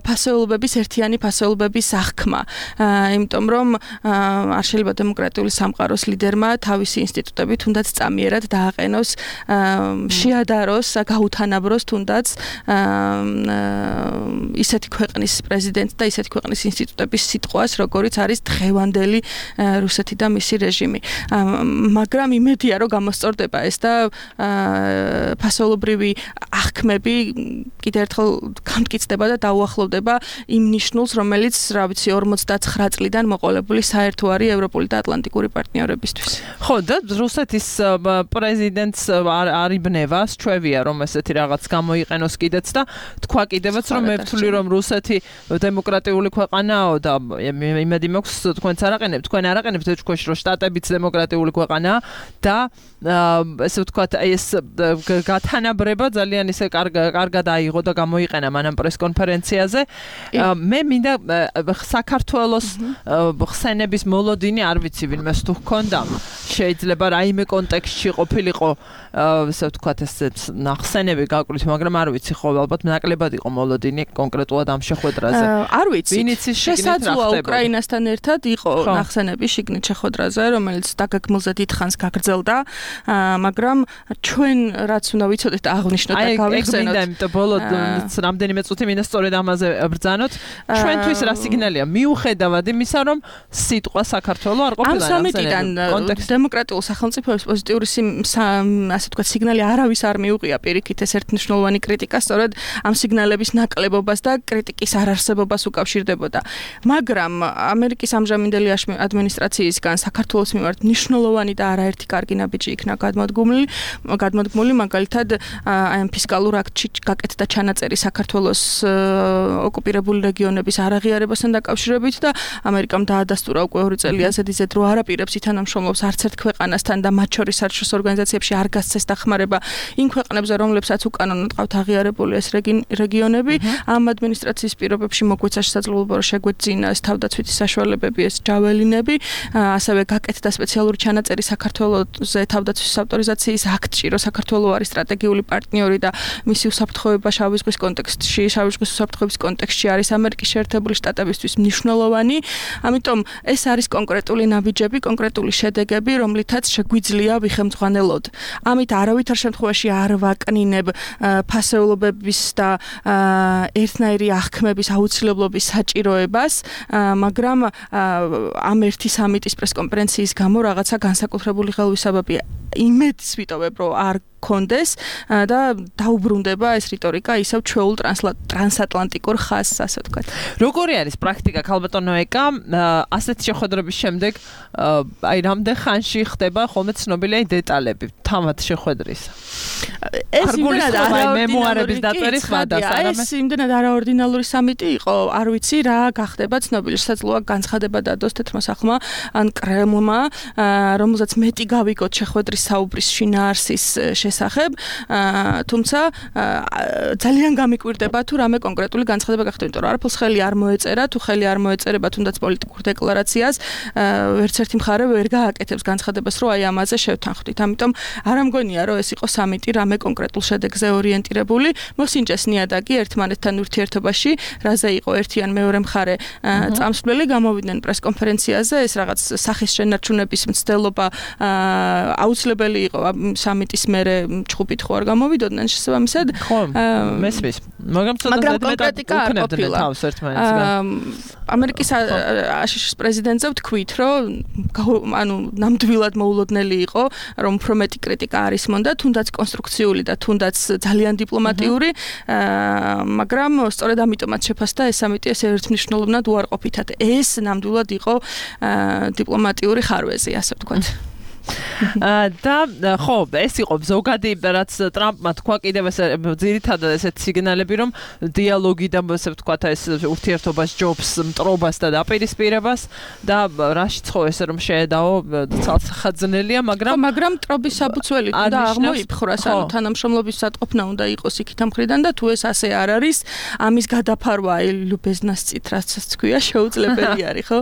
Speaker 5: ფასეულობების ერთიანი ფასეულობების აღქმა იმიტომ რომ არ შეიძლება დემოკრატიული სამყაროს ლიდერმა თავისი ინსტიტუტები თუნდაც წამიერად დააყენოს შეადაროს გაუთანაბროს თუნდაც ისეთი ქვეყნის პრეზიდენტს და ისეთი ქვეყნის ინსტიტუტების სიტყვას როგორიც არის დღევანდელი რუსეთი და მისი რეჟიმი მაგრამ იმედია რომ გამოსწორდება ეს და ფასეულობრივი აღქმები კიდევ ერთხელ გამტკიცდება და დაუახლოვდება იმ ნიშნულს, რომელიც, რა ვიცი, 59 წლიდან მოყოლებული საერთო არის ევროპული და ატლანტიკური პარტნიორებისთვის.
Speaker 2: ხო, და რუსეთის პრეზიდენტს არიბნება, სჩვევია, რომ ესეთი რაღაც გამოიყენოს კიდეც და თქვა კიდევაც, რომ მე ვთვლი, რომ რუსეთი დემოკრატიული ქვეყანაა და იმედი მაქვს თქვენც არაყენებთ, თქვენ არაყენებთ ეთქვეშ, რომ შტატებიც დემოკრატიული ქვეყანაა და ესე ვთქვათ, ეს გათანაბრება ძალიან ისე კარგად აიღო და გამოიყენა მანამ პრესკონფერენციაზე. მე მინდა საქართველოს ხსენების მოლოდინი არ ვიცი ვინმეს თუ ჰქონდა. შეიძლება რაიმე კონტექსტში ყოფილიყო, ესე ვთქვათ, ეს ნახსენები გაკვირთ, მაგრამ არ ვიცი ხო, ალბათ ნაკლებად იყო მოლოდინი კონკრეტულად ამ შეხვედრაზე.
Speaker 5: არ ვიცი. შესაძლოა უკრაინასთან ერთად იყო ნახსენები შიგნით შეხვედრაზე, რომელიც დაგეგმილზე დიდხანს გაგრძელდა, მაგრამ ჩვენ რაც უნდა ვიცოდეთ აღნიშნოთ და გავიხსენოთ.
Speaker 2: აი, იმიტომ ბოლოდ რამდენიმე წუთი მინდა სწორედ ამაზე ბრძანოთ. ჩვენთვის რა სიგნალია? მიუხედავად იმისა, რომ სიტყვა საქართველოს არ ყოფილა
Speaker 5: ამ სამიტიდან დემოკრატიულ სახელმწიფოებს პოზიტიური ასე ვთქვათ სიგნალი არავის არ მიუღია პირიქით ეს ერთმნიშვნელოვანი კრიტიკა სწორედ ამ სიგნალების ნაკლებობას და კრიტიკის არარსებობას უკავშირდებოდა. მაგრამ ამერიკის ამჟამინდელი ადმინისტრაციისგან საქართველოს მიმართ მნიშვნელოვანი და არაერთი კარგი ნაბიჯი იქნა გადმოდგმული მაგალითად აი ამ ფისკალურ აქტში გაკეთდა ჩანაწერი საქართველოს ოკუპირებული რეგიონების არაღიარებასთან დაკავშირებით და ამერიკამ დაადასტურა უკვე 2 წელი ასეთი ზედ რო არაპირებს ითანამშრომლობს არც ერთ ქვეყანასთან და მათ შორის საერთაშორისო ორგანიზაციებში არ გასცეს დახმარება იმ ქვეყნებზე რომლებსაც უკანონოდ ყავთ აღიარებული ეს რეგიონები ამ ადმინისტრაციის პირობებში მოგვეცა შესაძლებლობა რომ შეგვეძინა ეს თავდაცვითი საშუალებები ეს ჯაველინები ასევე გაკეთდა სპეციალური ჩანაწერი საქართველოზე თავდაცვის ავტორიზაციის აქტში რომ საქართველოს არის სტრატეგიული პარტნიორი და მისი უსაფრთხოება შავი ზღვის კონტექსტში შავი ზღვის უსაფრთხოების კონტექსტში არის ამერიკის შეერთებული შტატებისთვის მნიშვნელოვანი ამიტომ ეს არის კონკრეტული ნაბიჯები კონკრეტული შედეგები რომლითაც შეგვიძლია ვიხემძღვანელოთ ამით არავითარ შემთხვევაში არ ვაკნინებ ფასეულობების და ერთნაირი აღქმების აუცილებლობის საჭიროებას მაგრამ ამ ერთი სამიტის პრესკონფერენციის გამო რაღაცა განსაკუთრებული ხელვისებებია იმედს ვიტოვებ რომ არ კონდეს და დაუბრუნდება ეს რიტორიკა ისევ ჩვეულ ტრანსატლანტიკურ ხაზს ასე ვთქვათ.
Speaker 2: როგორი არის პრაქტიკა ქალბატონო ეკა ასეთ შეხვედრების შემდეგ აი რამდენ ხანში ხდება ხოლმე ცნობილი დეტალები თავად შეხვედრის?
Speaker 5: ეს
Speaker 2: მემუარების დაწერის ხმადას არამე
Speaker 5: ეს იმდენად არაორდინალური სამიტი იყო არ ვიცი რა გახდება ცნობილი შესაძლოა განცხადება დადოს თეთრმა სახლმა ან კრემლმა რომელზეც მეტი გავიგოთ შეხვედრის საუბრის შინაარსის შესახებ, თუმცა ძალიან გამიკვირდება თუ რამე კონკრეტული განცხადება გახდება, იმიტომ რომ არაფერს ხელი არ მოეწერა, თუ ხელი არ მოეწერება თუნდაც პოლიტიკურ დეკლარაციას, ვერც ერთი მხარე ვერ გააკეთებს განცხადებას, რომ აი ამაზე შევთანხმდით. ამიტომ არ ამგონია, რომ ეს იყო სამიტი რამე კონკრეტულ შედეგზე ორიენტირებული, მოსინჯეს ნიადაგი ერთმანეთთან ურთიერთობაში, რაზე იყო ერთი ან მეორე მხარე წამსვლელი, გამოვიდნენ პრესკონფერენციაზე, ეს რაღაც სახის შენარჩუნების მცდელობა აუცილებელი იყო სამიტის მერე ჩხუბით ხო არ გამოვიდოდნენ შესაბამისად.
Speaker 2: ხო, მესმის.
Speaker 5: მაგრამ კონკრეტიკა არ ყოფილა. ამერიკის აშშ-ის პრეზიდენტზე ვთქვით, რომ ანუ ნამდვილად მოულოდნელი იყო, რომ უფრო მეტი კრიტიკა არის მონდა, თუნდაც კონსტრუქციული და თუნდაც ძალიან დიპლომატიური, მაგრამ სწორედ ამიტომაც შეფასდა ეს სამიტი ეს ერთმნიშვნელოვნად უარყოფითად. ეს ნამდვილად იყო დიპლომატიური ხარვეზი, ასე ვთქვათ.
Speaker 2: და ხო, ეს იყო ზოგადი, რაც ტრამპმა თქვა კიდევ ეს ძირითადად ესეთ სიგნალები, რომ დიალოგიდან ასე ვთქვათ, ეს ურთიერთობას ჯობს მტრობას და დაპირისპირებას და რაშიც ხო ესე რომ შეედაო ცალსახადნელია,
Speaker 5: მაგრამ მტრობის საბუცველი და აღმოიფხვრას, ანუ თანამშრომლობის სატყოფნა უნდა იყოს იქით ამხრიდან და თუ ეს ასე არ არის, ამის გადაფარვა ლუბეზნას წით რაც თქვია შეუძლებელი არის, ხო?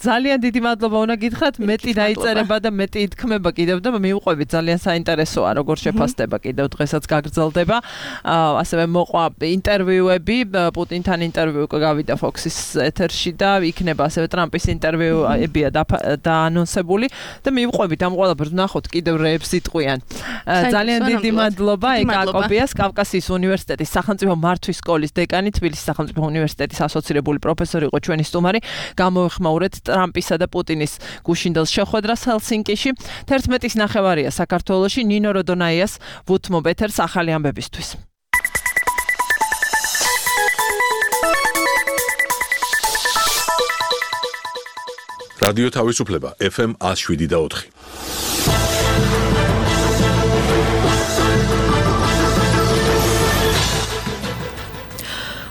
Speaker 2: ძალიან დიდი მადლობა უნდა გითხრათ, მეტი დაიწერება და მეტი ითქმება კიდევ და მივყვებით, ძალიან საინტერესოა როგორ შეფასდება კიდევ დღესაც გაგრძელდება. ასევე მოყვა ინტერვიუები, პუტინთან ინტერვიუ გავიდა Fox-ის ეთერში და იქნება ასევე ტრამპის ინტერვიუებია დაანონსებული და მივყვებით ამ ყველაფერს ვნახოთ კიდევ რეებს იტყვიან. ძალიან დიდი მადლობა ეკაკობიას, კავკასიის უნივერსიტეტის სახელმწიფო მართვის სკოლის დეკანი, თბილისის სახელმწიფო უნივერსიტეტის ასოცირებული პროფესორი იყო ჩვენი სტუმარი. გამოვიხმაურეთ ტრამპისა და პუტინის გუშინდელ შეხვედრას ჰელსინკიში. 11:09 საქართველოში ნინო როდონაიას ვუთმობ ეთერს ახალი ამბებისთვის.
Speaker 1: რადიო თავისუფლება FM 107.4.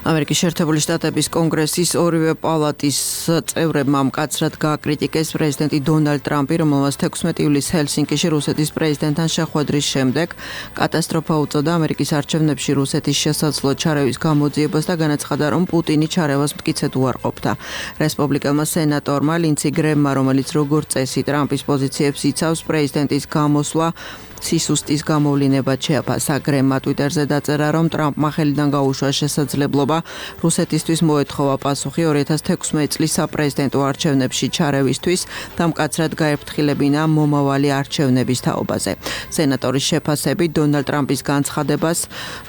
Speaker 6: ამერიკის შეერთებული შტატების კონგრესის ორივე პალატის წევრებმა მკაცრად გააკრიტიკეს პრეზიდენტი დონალდ ტრამპი, რომელმაც 16 ივლისს ჰელსინკიში რუსეთის პრეზიდენტთან შეხვედრის შემდეგ კატასტროფა უწოდა ამერიკის არჩევნებში რუსეთის შესაძლო ჩარევის გამოძიებას და განაცხადა, რომ პუტინი ჩარევას მტკიცედ უარყოფდა. რესპუბლიკელმა სენატორმა ლინცი გრემმა, რომელიც როგორც წესი ტრამპის პოზიციებს იცავს, პრეზიდენტის გამოსვლა სისუსტის გამოვლინებად შეაფასა. გრემმა ტვიტერზე დაწერა, რომ ტრამპმა ხელიდან გაუშვა შესაძლებლობა რუსეთისთვის მოეთხოვა პასუხი 2016 წლის საპრეზიდენტო არჩევნებში ჩარევისთვის და მკაცრად გაერფრთხილებინა მომავალი არჩევნების თაობაზე. სენატორის შეფასებით დონალდ ტრამპის განცხადებას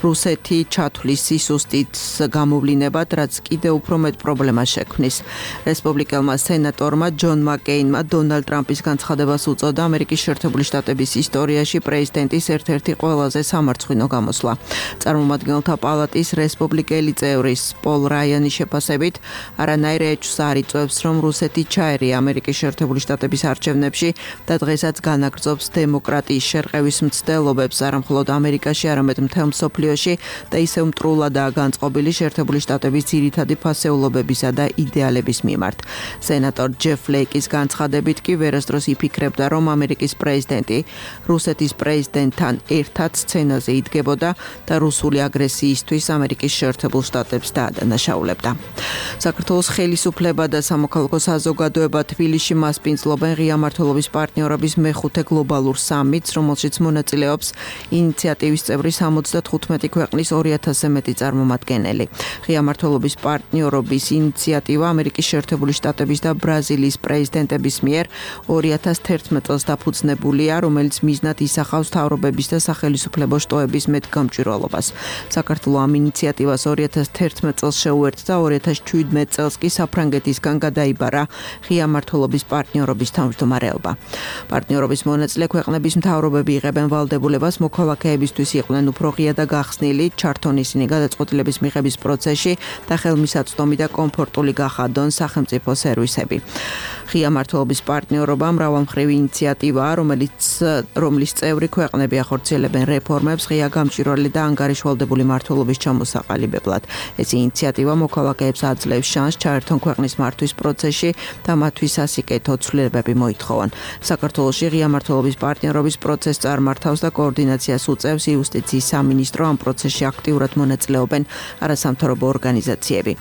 Speaker 6: რუსეთი ჩათვლის სისუსტის გამოვლინებად, რაც კიდევ უფრო მეტ პრობლემას შექმნის. რესპუბლიკელმა სენატორმა ჯონ მაკეინმა დონალდ ტრამპის განცხადებას უწოდა ამერიკის შეერთებული შტატების ისტორიაში პრეზიდენტის ერთ-ერთი ყველაზე სამარცხვინო გამოსვლა. წარმომადგენელთა პალატის რესპუბლიკელი წევრის პოლ რაიანის შეფასებით, არანაირ ეჭვს არ იწვევს, რომ რუსეთი ჩაერია ამერიკის შეერთებული შტატების არჩევნებში და დღესაც განაგრძობს დემოკრატიის შერყევის მცდელობებს არა მხოლოდ ამერიკაში, არამედ მთელ მსოფლიოში და ისევ მტრულადაა განწყობილი შეერთებული შტატების ძირითადი ფასეულობებისა და იდეალების მიმართ. სენატორ ჯეფ ფლეიკის განცხადებით კი ვერასდროს იფიქრებდა, რომ ამერიკის პრეზიდენტი რუსეთის პრეზიდენტთან ერთად სცენაზე იდგებოდა და რუსული აგრესიისთვის ამერიკის შეერთებულ შტატებს დაადანაშაულებდა. საქართველოს ხელისუფლება და სამოქალაქო საზოგადოება თბილისში მასპინძლობენ ღია მმართველობის პარტნიორობის მეხუთე გლობალურ სამიტს, რომელშიც მონაწილეობს ინიციატივის წევრი 75 ქვეყნის 2000-ზე მეტი წარმომადგენელი. ღია მმართველობის პარტნიორობის ინიციატივა ამერიკის შეერთებული შტატების და ბრაზილიის პრეზიდენტების მიერ 2011 წელს დაფუძნებულია, რომელიც მიზნად ისახავს თავრობების და სახელისუფლებო შტოების მეტგამჭვირვალობას. საქართველოს ამ ინიციატივას 2011 წელს შეუერთდა, 2017 წელს კი საფრანგეთისგან გადაიბარა ღია მმართველობის პარტნიორობის თავმჯდომარეობა. პარტნიორობის მონაწილე ქვეყნების მთავრობები იღებენ ვალდებულებას მოქალაქეებისთვის იყვნენ უფრო ღია და გახსნილი, ჩართონ ისინი გადაწყვეტილების მიღების პროცესში და ხელმისაწვდომი და კომფორტული გახადონ სახელმწიფო სერვისები. ღია მმართველობის პარტნიორობა მრავალმხრივი ინიციატივაა, რომლის წევრი ქვეყნები ახორციელებენ რეფორმებს ღია გამჭვირვალე და ანგარიშვალდებული მმართველობის ჩამოსაყალიბებლად. ეს ინიციატივა მოქალაქეებს აძლევს შანსს ჩაერთონ ქვეყნის მართვის პროცესში და მათთვის სასიკეთო ცვლილებები მოითხოვონ. საქართველოში ღია მმართველობის პარტნიორობის პროცესს წარმართავს და კოორდინაციას უწევს იუსტიციის სამინისტრო, ამ პროცესში აქტიურად მონაწილეობენ არასამთავრობო ორგანიზაციები.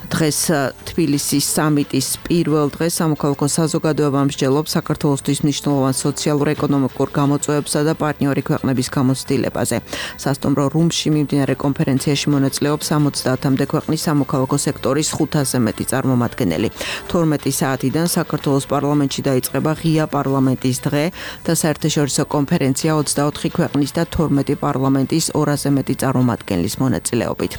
Speaker 6: დღეს თბილისის სამიტის პირველ დღეს სამოქალაქო საზოგადოება მსჯელობს საქართველოსთვის მნიშვნელოვან სოციალურ-ეკონომიკურ გამოწვევებსა და პარტნიორი ქვეყნების გამოცდილებაზე. სასტუმრო რუმში მიმდინარე კონფერენციაში მონაწილეობს 70-მდე ქვეყნის სამოქალაქო სექტორის 500-ზე მეტი წარმომადგენელი. 12 საათიდან საქართველოს პარლამენტში დაიწყება ღია პარლამენტის დღე და საერთაშორისო კონფერენცია 24 ქვეყნის და 12 პარლამენტის 200-ზე მეტი წარმომადგენლის მონაწილეობით.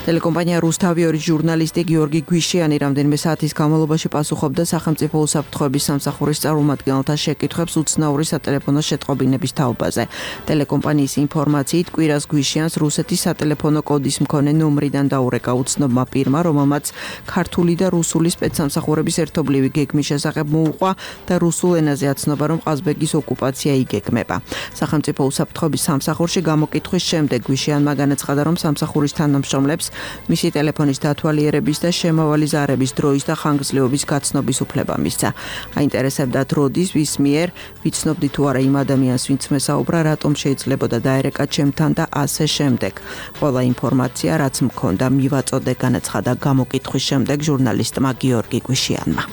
Speaker 6: ტელეკომპანია რუსთავი ჟურნალისტი გიორგი გვიშიანი რამდენიმე საათის განმავლობაში პასუხობდა სახელმწიფო უსაფრთხოების სამსახურის წარმომადგენელთა შეკითხვებს უცნაური სატელეფონო შეტყობინების თაობაზე. ტელეკომპანიის ინფორმაციით კვირას გვიშიანს რუსეთის სატელეფონო კოდის მქონე ნომრიდან დაურეკა უცნობმა პირმა, რომელმაც ქართული და რუსული სპეცსამსახურების ერთობლივი გეგმის შესახებ მოუყვა და რუსულ ენაზე აცნობა, რომ ყაზბეგის ოკუპაცია იგეგმება. სახელმწიფო უსაფრთხოების სამსახურში გამოკითხვის შემდეგ გვიშიანმა განაცხადა, რომ სამსახურის თანამშრომლებს მისი ტელეფონის დათვალიერების და შემავალი ზარების დროის და ხანგრძლივობის გაცნობის უფლება მისცა. აინტერესებდათ როდის, ვის მიერ, ვიცნობდი თუ არა იმ ადამიანს, ვინც მესაუბრა, რატომ შეიძლებოდა დაერეკა ჩემთან და ასე შემდეგ. ყველა ინფორმაცია, რაც მქონდა, მივაწოდე, განაცხადა გამოკითხვის შემდეგ ჟურნალისტმა გიორგი გვიშიანმა.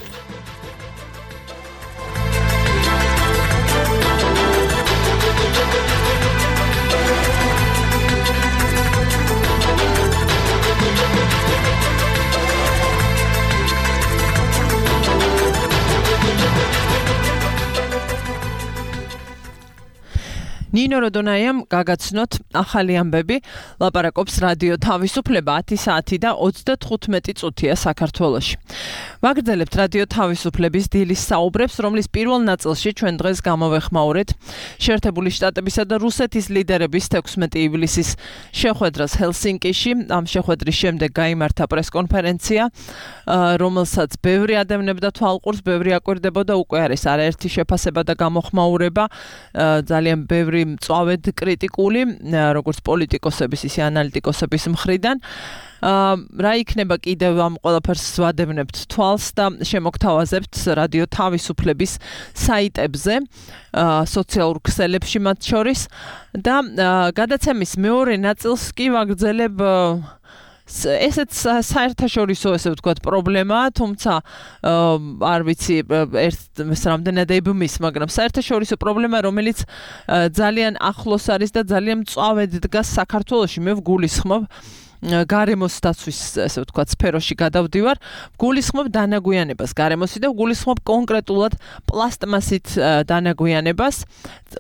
Speaker 2: ნინო როდონაიამ გაგაცნოთ ახალი ამბები, ლაპარაკობს რადიო თავისუფლება 10 საათი და 35 წუთია საქართველოში. ვაგრძელებთ რადიო თავისუფლების დილის საუბრებს, რომლის პირველ ნაწილში ჩვენ დღეს გამოვეხმაურეთ შეერთებული შტატებისა და რუსეთის ლიდერების 16 ივლისის შეხვედრას ჰელსინკიში. ამ შეხვედრის შემდეგ გაიმართა პრესკონფერენცია, რომელსაც ბევრი ადევნებდა თვალყურს, ბევრი აკვირდებოდა, უკვე არის არაერთი შეფასება და გამოხმაურება, ძალიან ბევრი მწვავედ კრიტიკული, როგორც პოლიტიკოსების, ისე ანალიტიკოსების მხრიდან. რა იქნება კიდევ ამ ყველაფერს ვადევნებთ თვალს და შემოგთავაზებთ რადიო თავისუფლების საიტებზე, სოციალურ ქსელებში მათ შორის და გადაცემის მეორე ნაწილს კი ვაგრძელებ ესეც საერთაშორისო, ესე ვთქვათ, პრობლემაა, თუმცა არ ვიცი ერთ რამდენად ებმის, მაგრამ საერთაშორისო პრობლემა, რომელიც ძალიან ახლოს არის და ძალიან მწვავედ დგას საქართველოში. მე ვგულისხმობ გარემოს დაცვის, ესე ვთქვათ, სფეროში გადავდივარ, ვგულისხმობ დანაგვიანებას გარემოსი და ვგულისხმობ კონკრეტულად პლასტმასით დანაგვიანებას.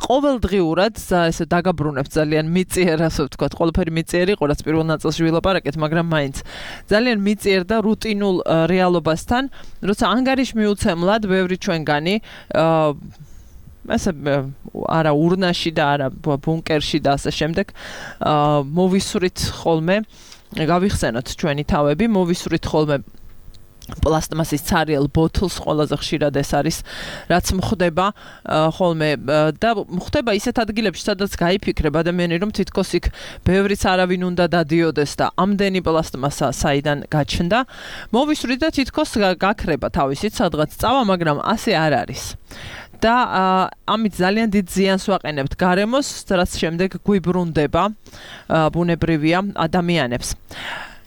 Speaker 2: ყოველდღიურად ესე დაგაბრუნებ ძალიან მიწიერ, ასე ვთქვათ, ყველაფერი მიწიერი იყო, რაც პირველ ნაწილში ვილაპარაკეთ, მაგრამ მაინც ძალიან მიწიერ და რუტინულ რეალობასთან, როცა ანგარიშმიუცემლად ბევრი ჩვენგანი ასე არა ურნაში და არა ბუნკერში და ასე შემდეგ მოვისვრით ხოლმე, გავიხსენოთ ჩვენი თავები, მოვისვრით ხოლმე პლასტმასის ცარიელ ბოთლს, ყველაზე ხშირად ეს არის, რაც მხდება ხოლმე და მხდება ისეთ ადგილებში, სადაც გაიფიქრებ ადამიანი, რომ თითქოს იქ ბევრიც არავინ უნდა დადიოდეს და ამდენი პლასტმასა საიდან გაჩნდა. მოვისვრით და თითქოს გაქრება თავისით სადღაც წავა, მაგრამ ასე არ არის. და ამით ძალიან დიდ ზიანს ვაყენებთ გარემოს, რაც შემდეგ გვიბრუნდება ბუნებრივია ადამიანებს.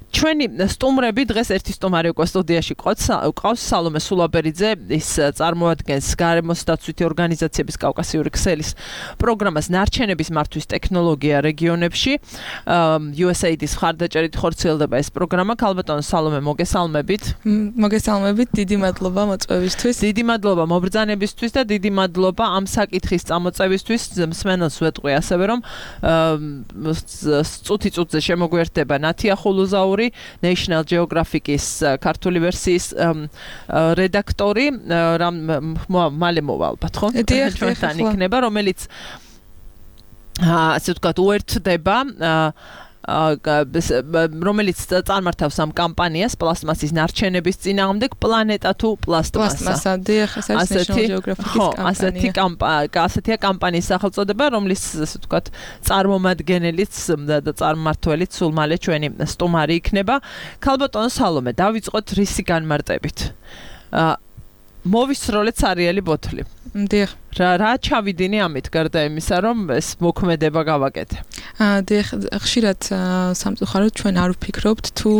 Speaker 2: ჩვენი სტუმრები დღეს ერთი სტუმარი უკვე სტუდიაში ყავს, სალომე სულაბერიძე, ის წარმოადგენს გარემოს დაცვითი ორგანიზაციების კავკასიური ქსელის პროგრამას ნარჩენების მართვის ტექნოლოგია რეგიონებში. USAID-ის მხარდაჭერით ხორციელდება ეს პროგრამა. ქალბატონო სალომე, მოგესალმებით.
Speaker 7: მოგესალმებით, დიდი მადლობა მოწვევისთვის.
Speaker 2: დიდი მადლობა მობრძანებისთვის და დიდი მადლობა ამ საკითხის წამოწევისთვის. მსმენელს ვეტყვი ასევე, რომ წუთი-წუთზე შემოგვერდება ნათია ხულუზაური, National Geographic-ის ქართული ვერსიის რედაქტორი, მალე მოვალბათ, ხო? ჩვენთან იქნება, რომელიც ასე ვთქვათ, უერთდება რომელიც წარმართავს ამ კამპანიას პლასტმასის ნარჩენების წინააღმდეგ პლანეტა თუ პლასტმასა.
Speaker 7: დიახ, ეს არის National Geographic-ის კამპანია.
Speaker 2: ასეთია კამპანიის სახელწოდება, რომლის ასე ვთქვათ, წარმომადგენელიც და წარმმართველიც სულ მალე ჩვენი სტუმარი იქნება. ქალბატონო სალომე, დავიწყოთ რისი განმარტებით. მოვისროლეთ სარიელი ბოთლი.
Speaker 7: დიახ.
Speaker 2: რა ჩავიდინე ამით გარდა იმისა, რომ ეს მოქმედება გავაკეთე.
Speaker 7: დიახ, ხშირად სამწუხაროდ ჩვენ არ ვფიქრობთ თუ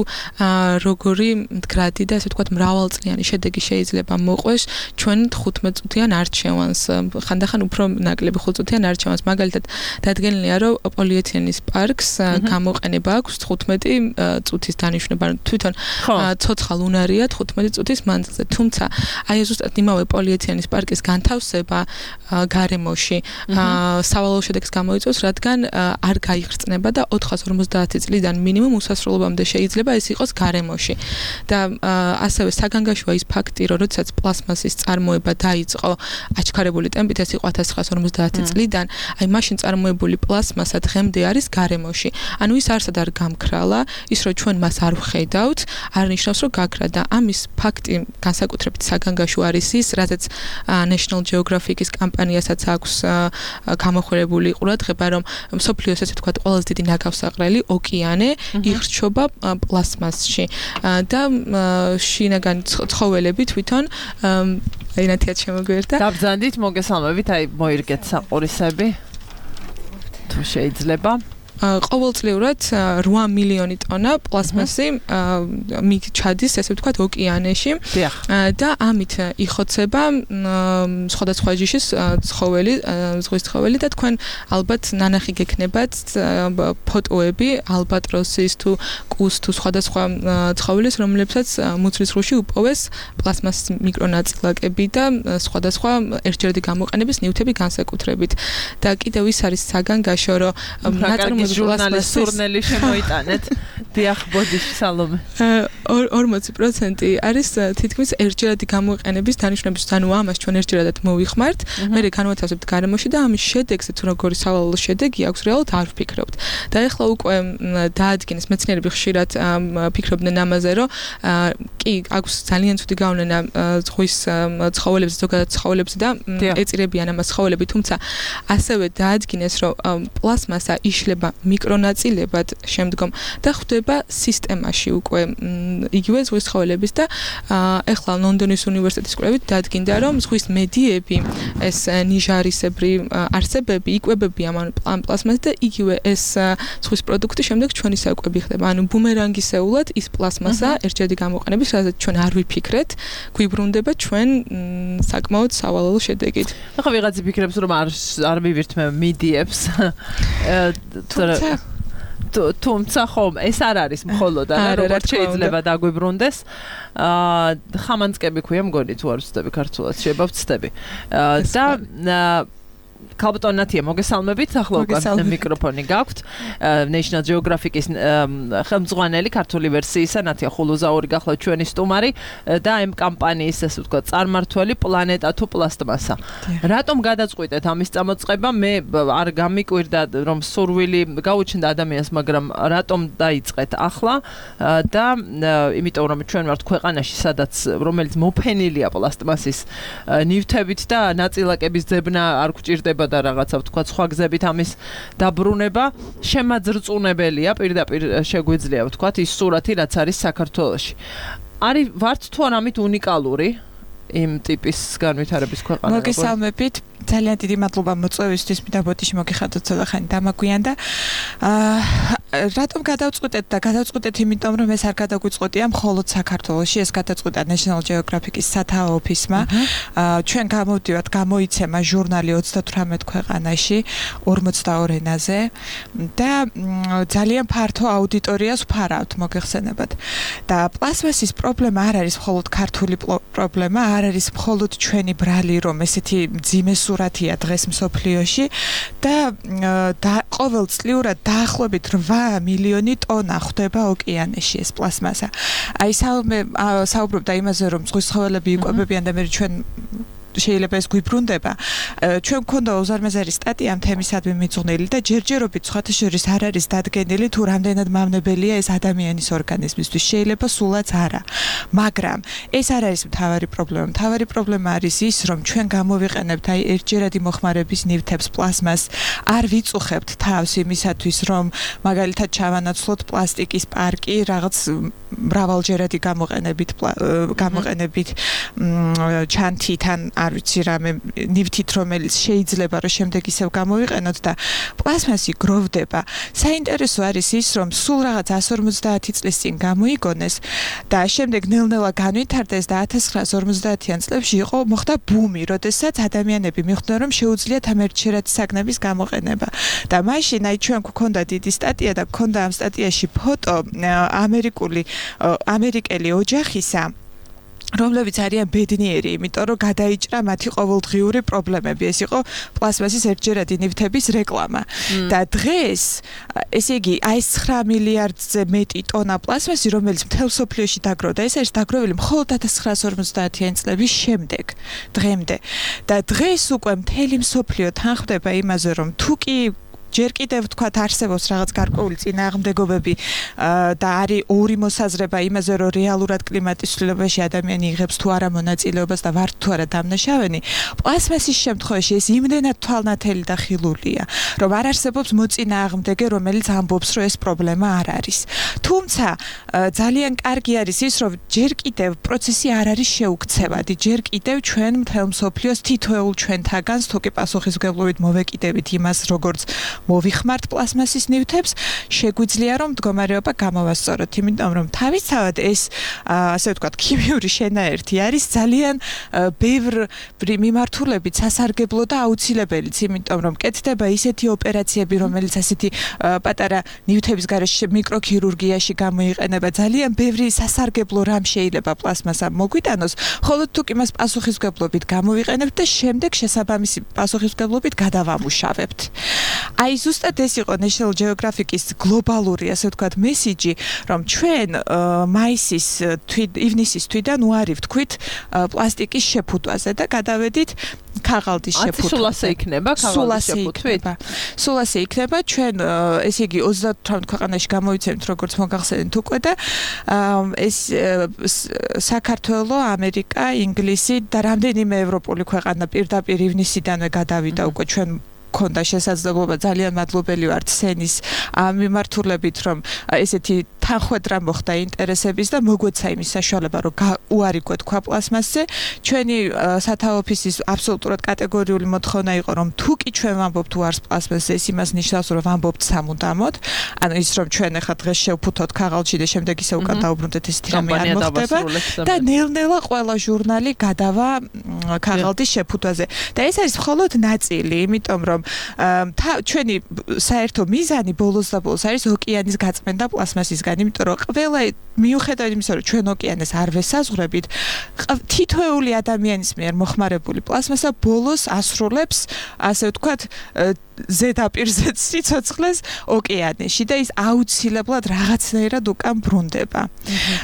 Speaker 7: როგორი მდგრადი და ასე ვთქვათ მრავალწლიანი შედეგი შეიძლება მოყვეს ჩვენ 15 წუთიან არჩევანს. ხანდახან უფრო ნაკლები 5 წუთიან არჩევანს. მაგალითად, დადგენილია, რომ პოლიეთილენის პარკს გამოყენება აქვს 15 წუთის დანიშვნება. თვითონ ცოცხალ უნარია 15 წუთის მანძილზე. თუმცა აი ზუსტად იმავე პოლიეთილენის პარკის განთავსება გარემოში სავალალო შედეგს გამოიწვევს, რადგან არ გაიხრწნება და 450 წლიდან მინიმუმ უსასრულობამდე შეიძლება ეს იყოს გარემოში. და ასევე საგანგაშოა ის ფაქტი, რომ როდესაც პლასმასის წარმოება დაიწყო აჩქარებული ტემპით, ეს იყო 1950 წლიდან, აი მაშინ წარმოებული პლასმასა დღემდე არის გარემოში. ანუ ის არსად არ გამქრალა, ის რომ ჩვენ მას არ ვხედავთ, არ ნიშნავს რომ გაქრა და ამის ფაქტი განსაკუთრებით საგანგაშო არის ის, რადგან National Geographic-ის კამპანიასაც აქვს გამოხმარებული ყურადღება, რომ მსოფლიოს ესე ვთქვათ ყველაზე დიდი ნაგავსაყრელი ოკეანე იხრჩობა პლასმასში და შინაგანი ცხოველები თვითონ ენათიად შემოგვერდა.
Speaker 2: დაბრძანდით, მოგესალმებით, აი მოირგეთ საყურისები. თუ შეიძლება
Speaker 7: ყოველწლიურად 8 მილიონი ტონა პლასმასი ჩადის, ესე ვთქვათ, ოკეანეში და ამით იხოცება სხვადასხვა ჯიშის ცხოველი, ზღვის ცხოველი და თქვენ ალბათ ნანახი გექნებათ ფოტოები ალბატროსის თუ კუს თუ სხვადასხვა ცხოველის, რომლებსაც მუცლის ზღვაში უპოვეს პლასმასის მიკრონაწილაკები და სხვადასხვა ერთჯერადი გამოყენების ნივთები განსაკუთრებით. და კიდევ ის არის საგანგაშო, რომ ნაწარმოების
Speaker 2: ჟურნალის სურნელი შემოიტანეთ. დიახ, ბოდიში სალომე.
Speaker 7: 40% არის თითქმის ერთჯერადი გამოყენების დანიშნების, ანუ ამას ჩვენ ერთჯერადად მოვიხმართ, მერე განვათავსებთ გარემოში და ამის შედეგზე თუ როგორი სავალალო შედეგი აქვს, რეალურად არ ვფიქრობთ. და ეხლა უკვე დაადგინეს მეცნიერები ხშირად ფიქრობდნენ ამაზე, რომ კი აქვს ძალიან ცუდი გავლენა ზღვის ცხოველებზე, ზოგადად ცხოველებზე და ეწირებიან ამას ცხოველები, თუმცა ასევე დაადგინეს, რომ პლასმასა იშლება მიკრონაწილებად შემდგომ და ხვდება სისტემაში უკვე იგივე ზღვის ცხოველების და ეხლა ლონდონის უნივერსიტეტის კვლევით დადგინდა, რომ ზღვის მედიები, ეს ნიჟარისებრი არსებები იკვებებიან ამ პლასმასით და იგივე ეს ზღვის პროდუქტი შემდეგ ჩვენი საკვები ხდება. ანუ ბუმერანგისეულად ის პლასმასა ერთჯერადი გამოყენების, რადგან ჩვენ არ ვიფიქრეთ, გვიბრუნდება ჩვენ საკმაოდ სავალალო შედეგით.
Speaker 2: ახლა ვიღაც იფიქრებს, რომ არ მივირთ მე მიდიებს. თუმცა ხომ ეს არ არის მხოლოდ არა, როგორც შეიძლება დაგვიბრუნდეს. ხამანწკები ქვია მგონი, თუ არ ვცდები ქართულად, შეიძლება ვცდები. და ქალბატონათია, მოგესალმებით, ახლა უკვე მიკროფონი გაქვთ. National Geographic-ის ხელმძღვანელი ქართული ვერსიისა ნათია ხულუზაური გახლავთ ჩვენი სტუმარი და ამ კამპანიის, ასე ვთქვათ, წარმმართველი პლანეტა თუ პლასტმასა. რატომ გადაწყვიტეთ ამის წამოწყება? მე არ გამიკვირდა, რომ სურვილი გაუჩნდა ადამიანს, მაგრამ რატომ დაიწყეთ ახლა და იმიტომ რომ ჩვენ ვართ ქვეყანაში, სადაც რომელიც მოფენილია პლასტმასის ნივთებით და ნაწილაკების ძებნა არ გვჭირდება და რაღაცა ვთქვათ სხვა გზებით ამის დაბრუნება შემაძრწუნებელია, პირდაპირ შეგვიძლია ვთქვათ ის სურათი, რაც არის საქართველოში. არის ვართ თუ არ ამით უნიკალური იმ ტიპის განვითარების ქვეყანა?
Speaker 8: მოგესალმებით, ძალიან დიდი მადლობა მოწვევისთვის, მინდა ბოდიში მოგიხადოთ ცოტახანი დამაგვიანდა. რატომ გადავწყვეტეთ და გადავწყვეტეთ იმიტომ, რომ ეს არ გადაგვიწყոտია მხოლოდ საქართველოში, ეს გადაწყვეტა National Geographic-ის სათაო ოფისმა. ჩვენ გამოვდივართ, გამოიცემა ჟურნალი 38 ქვეყანაში, 42 ენაზე და ძალიან ფართო აუდიტორიას ვფარავთ, მოგეხსენებათ. და პლასმასის პრობლემა არ არის მხოლოდ ქართული პრობლემა, არ არის მხოლოდ ჩვენი ბრალი, რომ ესეთი მძიმე სურათია დღეს მსოფლიოში და ყოველწლიურად დაახლოებით 8 მილიონი ტონა ხვდება ოკეანეში ეს პლასმასა. აი საუბრობდა იმაზე, რომ ზღვის ცხოველები იკვებებიან და მე ჩვენ შეიძლება ეს გვიბრუნდება. ჩვენ გქონდა უზარმაზარი სტატია ამ თემისადმი მიძღვნილი და ჯერჯერობით სხვათა შორის არ არის დადგენილი თუ რამდენად მავნებელია ეს ადამიანის ორგანიზმისთვის. შეიძლება სულაც არა. მაგრამ ეს არ არის მთავარი პრობლემა. მთავარი პრობლემა არის ის, რომ ჩვენ გამოვიყენებთ აი ერთჯერადი მოხმარების ნივთებს, პლაზმას, არ ვიწუხებთ თავს იმისათვის, რომ მაგალითად ჩავანაცვლოთ პლასტიკის პარკი რაღაც მრავალჯერადი გამოყენებით ჩანთიდან, არ ვიცი რამე ნივთით, რომელიც შეიძლება რომ შემდეგ ისევ გამოვიყენოთ და პლაზმასი გროვდება. საინტერესო არის ის, რომ სულ რაღაც 150 წლის წინ გამოიგონეს და შემდეგ ნელ-ნელა განვითარდეს და 1950-იან წლებში მოხდა ბუმი, როდესაც ადამიანები მიხვდნენ, რომ შეუძლიათ ამ ერთჯერადი საგნების გამოყენება. და მაშინ აი ჩვენ გვქონდა დიდი სტატია და გვქონდა ამ სტატიაში ფოტო ამერიკელი ოჯახისა, რომლებიც არიან ბედნიერი, იმიტომ რომ გადაიჭრა მათი ყოველდღიური პრობლემები. ეს იყო პლაზმასის ერთჯერადი ნივთების რეკლამა. და დღეს, ესე იგი, აი 9 მილიარდზე მეტი ტონა პლაზმასი, რომელიც მთელ მსოფლიოში დაგროვდა, ეს არის დაგროვილი მხოლოდ 1950-იანი წლების შემდეგ, დღემდე. და დღეს უკვე მთელი მსოფლიო თანხმდება იმაზე, რომ თუ კი ჯერ კიდევ თქვათ არსებობს რაღაც გარკვეული წინააღმდეგობები და არის ორი მოსაზრება იმაზე, რომ რეალურად კლიმატის ცვლილებაში ადამიანი იღებს თუ არა მონაწილეობას და ვართ თუ არა დამნაშავენი. პლაზმასის შემთხვევაში ეს იმდენად თვალნათელი და ხილულია, რომ არ არსებობს მოწინააღმდეგე, რომელიც ამბობს, რომ ეს პრობლემა არ არის. თუმცა ძალიან კარგი არის ის, რომ ჯერ კიდევ პროცესი არ არის შეუქცევადი. ჯერ კიდევ ჩვენ მთელ მსოფლიოს თითოეულ ჩვენთაგანს თუ კი პასუხისმგებლობით მოვეკიდებით იმას, როგორც მოვიხმართ პლაზმასის ნივთებს, შეგვიძლია რომ მდგომარეობა გამოვასწოროთ, იმიტომ რომ თავისთავად ეს ასე ვთქვათ ქიმიური შენაერთი არის ძალიან ბევრი მიმართულებით სასარგებლო და აუცილებელიც, იმიტომ რომ კეთდება ისეთი ოპერაციები, რომელიც ასეთი პატარა ნივთების გარეშე მიკროქირურგიაში გამოიყენება, ძალიან ბევრი სასარგებლო რამ შეიძლება პლაზმასამ მოგვიტანოს, ხოლო თუ კი მას პასუხისმგებლობით გამოვიყენებთ და შემდეგ შესაბამისი პასუხისმგებლობით გადავამუშავებთ. აი ზუსტად ეს იყო National Geographic-ის გლობალური, ასე ვთქვათ, მესიჯი, რომ ჩვენ ივნისის თვიდან უარი ვთქვით პლასტიკის შეფუთვაზე და გადავედით ქაღალდის შეფუთვაზე. სულ ასე იქნება ქაღალდის შეფუთვით? სულ ასე იქნება. ჩვენ ესე იგი 38 ქვეყანაში გამოიცემთ, როგორც მოგახსენეთ უკვე და ეს საქართველო, ამერიკა, ინგლისი და რამდენიმე ევროპული ქვეყანა პირდაპირ ივნისიდანვე გადავიდა უკვე ჩვენ ქონდა შესაძლებლობა, ძალიან მადლობელი ვართ სენის მიმართულებით, რომ ესეთი თანხwebdriver მოხდა ინტერესების და მოგვეცა იმის საშუალება, რომ უარი გვეთქვა პლაზმასზე. ჩვენი სათავო ოფისის აბსოლუტურად კატეგორიული მოთხოვნა იყო, რომ თუ კი ჩვენ ვამბობთ უარს პლაზმასზე, ეს იმას ნიშნავს, რომ ვამბობთ სამუდამოდ. ანუ ის რომ ჩვენ ახლა დღეს შევფუთოთ ქაღალდში და შემდეგ ისე უკან დაუბრუნდეთ, ესეთი რამე არ მოხდება და ნელ-ნელა ყველა ჟურნალი გადავა ქაღალდის შეფუთვაზე. და ეს არის მხოლოდ ნაწილი, იმიტომ რომ ჩვენი საერთო მიზანი ბოლოს და ბოლოს არის ოკეანის გაწმენდა პლაზმასისგან, იმიტომ რომ ყველა მიუხედავად იმისა, რომ ჩვენ ოკეანეს არ ვესაზღვრებით, თითოეული ადამიანის მიერ მოხმარებული პლაზმასა ბოლოს ასრულებს, ასე ვთქვათ, ზედაპირზე სიცოცხლეს ოკეანეში და ის აუცილებლად რაღაცნაირად უკან ბრუნდება.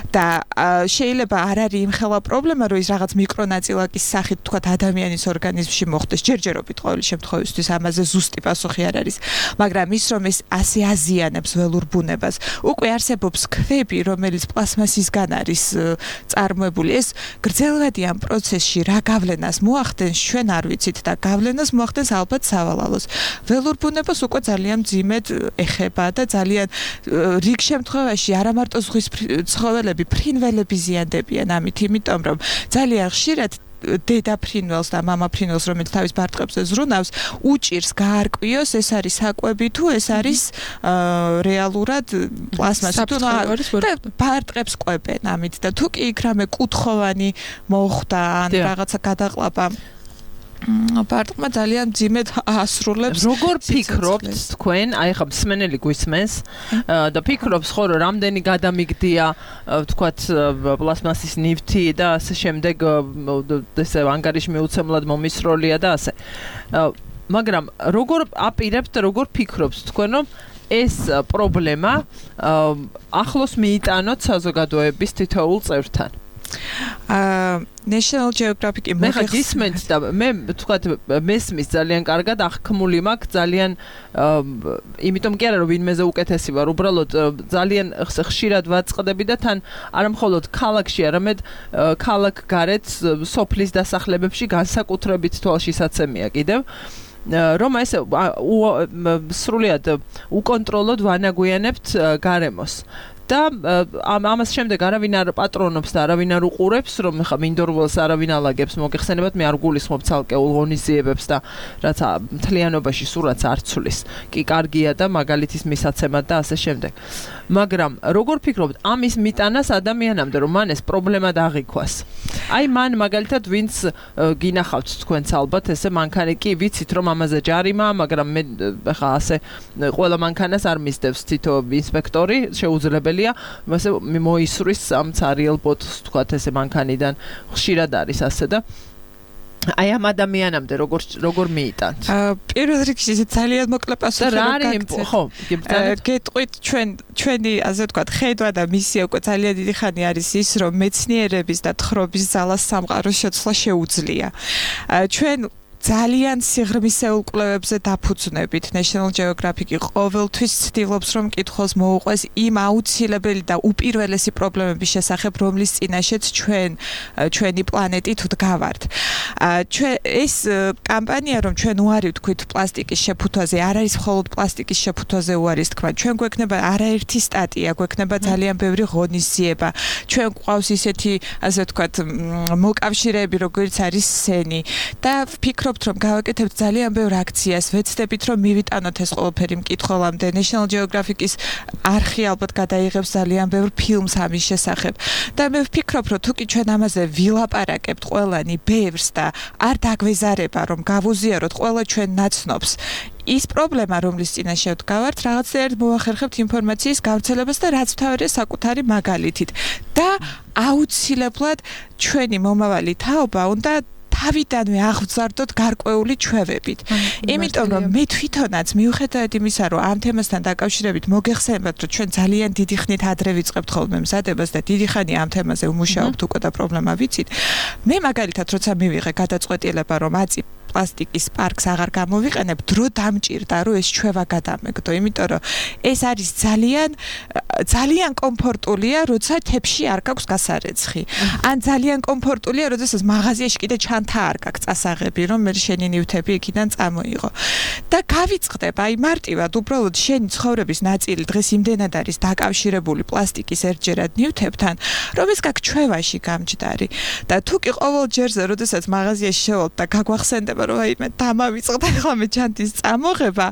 Speaker 8: და შეიძლება არ არის იმხელა პრობლემა, რომ ის რაღაც მიკრონაწილაკის სახით თქვათ ადამიანის ორგანიზმში მოხდეს, ჯერჯერობით ყოველი შემთხვევისთვის ამაზე ზუსტი პასუხი არ არის, მაგრამ ის რომ ეს ასე აზიანებს ველურ ბუნებას, უკვე არსებობს ქვები, რომელიც პლაზმასისგან არის წარმოებული. ეს გრძელვადიან პროცესში რა გავლენას მოახდენს, ჩვენ არ ვიცით და გავლენას მოახდენს ალბათ სავალალოს. ველურ ბუნებას უკვე ძალიან მძიმედ ეხება და ძალიან რიგ შემთხვევაში არა მარტო ზღვის ცხოველები, ფრინველები ზიანდებიან ამით, იმიტომ რომ ძალიან ხშირად დედა ფრინველს და მამა ფრინველს, რომელიც თავის ბარტყებზე ზრუნავს, უჭირს გაარკვიოს, ეს არის საკვები თუ ეს არის რეალურად პლაზმასი თუ ბარტყებს ყვებენ ამით და თუ კი იქ რამე კუთხოვანი მოხდა ან რაღაცა გადაყლაპა ბარტყმა ძალიან მძიმედ ასრულებს.
Speaker 2: როგორ ფიქრობთ თქვენ, აი ხა მსმენელი გვისმენს და ფიქრობს ხო რომ რამდენი გადამიგდია ვთქვათ პლაზმასის ნივთი და ასე შემდეგ ესე ანგარიში მიუცემლად მომისროლია და ასე. მაგრამ როგორ აპირებთ, როგორ ფიქრობთ თქვენ რომ ეს პრობლემა ახლოს მიიტანოთ საზოგადოების თითოეულ წევრთან?
Speaker 8: National Geographic-ი
Speaker 2: მე ხა გისმენთ და მე თქვათ მესმის ძალიან კარგად აღქმული მაქვს ძალიან იმიტომ კი არა რომ ვინმეზე უკეთესი ვარ უბრალოდ ძალიან ხშირად ვაწყდები და თან არა მხოლოდ ქალაქში არამედ ქალაქ გარეთ სოფლის დასახლებებში განსაკუთრებით თვალშისაცემია კიდევ რომ ეს სრულიად უკონტროლოდ ვანაგვიანებთ გარემოს და ამას შემდეგ არავინ არ პატრონობს და არავინ არ უყურებს რომ ხა მინდორველს არავინ ალაგებს მოგეხსენებათ მე არ გულისხმობ ცალკეულ ღონისძიებებს და რაც მთლიანობაში სურათს არ ცვლის კი კარგია და მაგალითის მისაცემად და ასე შემდეგ მაგრამ როგორ ფიქრობთ ამის მიტანას ადამიანამდე რომ მან ეს პრობლემა დაღიქვას აი მან მაგალითად ვინც გინახავთ თქვენც ალბათ ესე მანქანა კი ვიცით რომ ამაზე ჯარიმა მაგრამ მე ხა ასე ყველა მანქანას არ მისდევს თითო ინსპექტორი შეუძლებელია მასე მოისვრის ამ цариელ ბოტს თქვათ ესე მანქანიდან ხშირად არის ასე და აი ამ ადამიანამდე როგორ მიიტანთ?
Speaker 8: პირველ რიგში ძალიან მოკლე პასუხი გაგცეთ.
Speaker 2: ხო,
Speaker 8: გეტყვით ჩვენი ასე ვთქვათ, ხედვა და მისია უკვე ძალიან დიდი ხანი არის ის, რომ მეცნიერების და თხრობის ძალას სამყაროს შეცვლა შეუძლია. ჩვენ ძალიან სიღრმისეულ კვლევებზე დაფუძნებით National Geographic-ი ყოველთვის ცდილობს რომ კითხოს მოუყვეს იმ აუცილებელი და უპირველესი პრობლემების შესახებ, რომლის წინაშეც ჩვენი პლანეტით ვდგავართ. ეს კამპანია რომ ჩვენ უარი ვთქვით პლასტიკის შეფუთვაზე, არ არის მხოლოდ პლასტიკის შეფუთვაზე უარის თქვა. ჩვენ გვექნება არაერთი სტატია, გვექნება ძალიან ბევრი ღონისძიება. ჩვენ გვყავს ისეთი, ასე ვთქვათ, მოკავშირეები, როგორც არის სენი და ვფიქრობ რომ გავაკეთებთ ძალიან ბევრ აქციას, ვეცდებით რომ მივიტანოთ ეს ყველაფერი მკითხველამდე. National Geographic-ის არხი ალბათ გადაიღებს ძალიან ბევრ ფილმს ამის შესახებ. და მე ვფიქრობ რომ თუკი ჩვენ ამაზე ვილაპარაკებთ ყველანი ბევრს და არ დაგვეზარება რომ გავუზიაროთ ყველა ჩვენ ნაცნობს ის პრობლემა რომლის წინაშე ვდგავართ რაღაცნაირად მოახერხებთ ინფორმაციის გავრცელებას და რაც თავია საკუთარი მაგალითით და აუცილებლად ჩვენი მომავალი თაობა უნდა თავიდანვე აღზარდოთ გარკვეული ჩვევებით. იმიტომ რომ მე თვითონაც მიუხედავად იმისა, რომ ამ თემასთან დაკავშირებით მოგეხსენებათ, რომ ჩვენ ძალიან დიდი ხნით ადრე ვიწყებთ ხოლმე მზადებას და დიდი ხანი ამ თემაზე ვმუშაობთ უკვე და პრობლემა ვიცით. მე მაგალითად როცა მივიღე გადაწყვეტილება, რომ აწი პლასტიკის პარკს აღარ გამოვიყენებ, დრო დამჭირდა, რომ ეს ჩვევა გადამეგდო, იმიტომ რომ ეს არის ძალიან კომფორტულია, როცა თებში არ გაქვს გასარეცხი. ან ძალიან კომფორტულია, როდესაც მაღაზიაში კიდე ჩანთა არ გაქვს წასაღები, რომ მე შენი ნივთები იქიდან წამოიღო. და გავიწყდებ, აი მარტივად, უბრალოდ შენი ცხოვრების ნაწილი დღეს იმდენად არის დაკავშირებული პლასტიკის ერთჯერად ნივთებთან, რომ ეს გაქვს ჩვევაში გამჯდარი. და თუ კი ყოველ ჯერზე, როდესაც მაღაზიაში შევალთ და გაგვახსენდება რომ აი მე დამავიწყდა ახლა მე ჩანთის წამოღება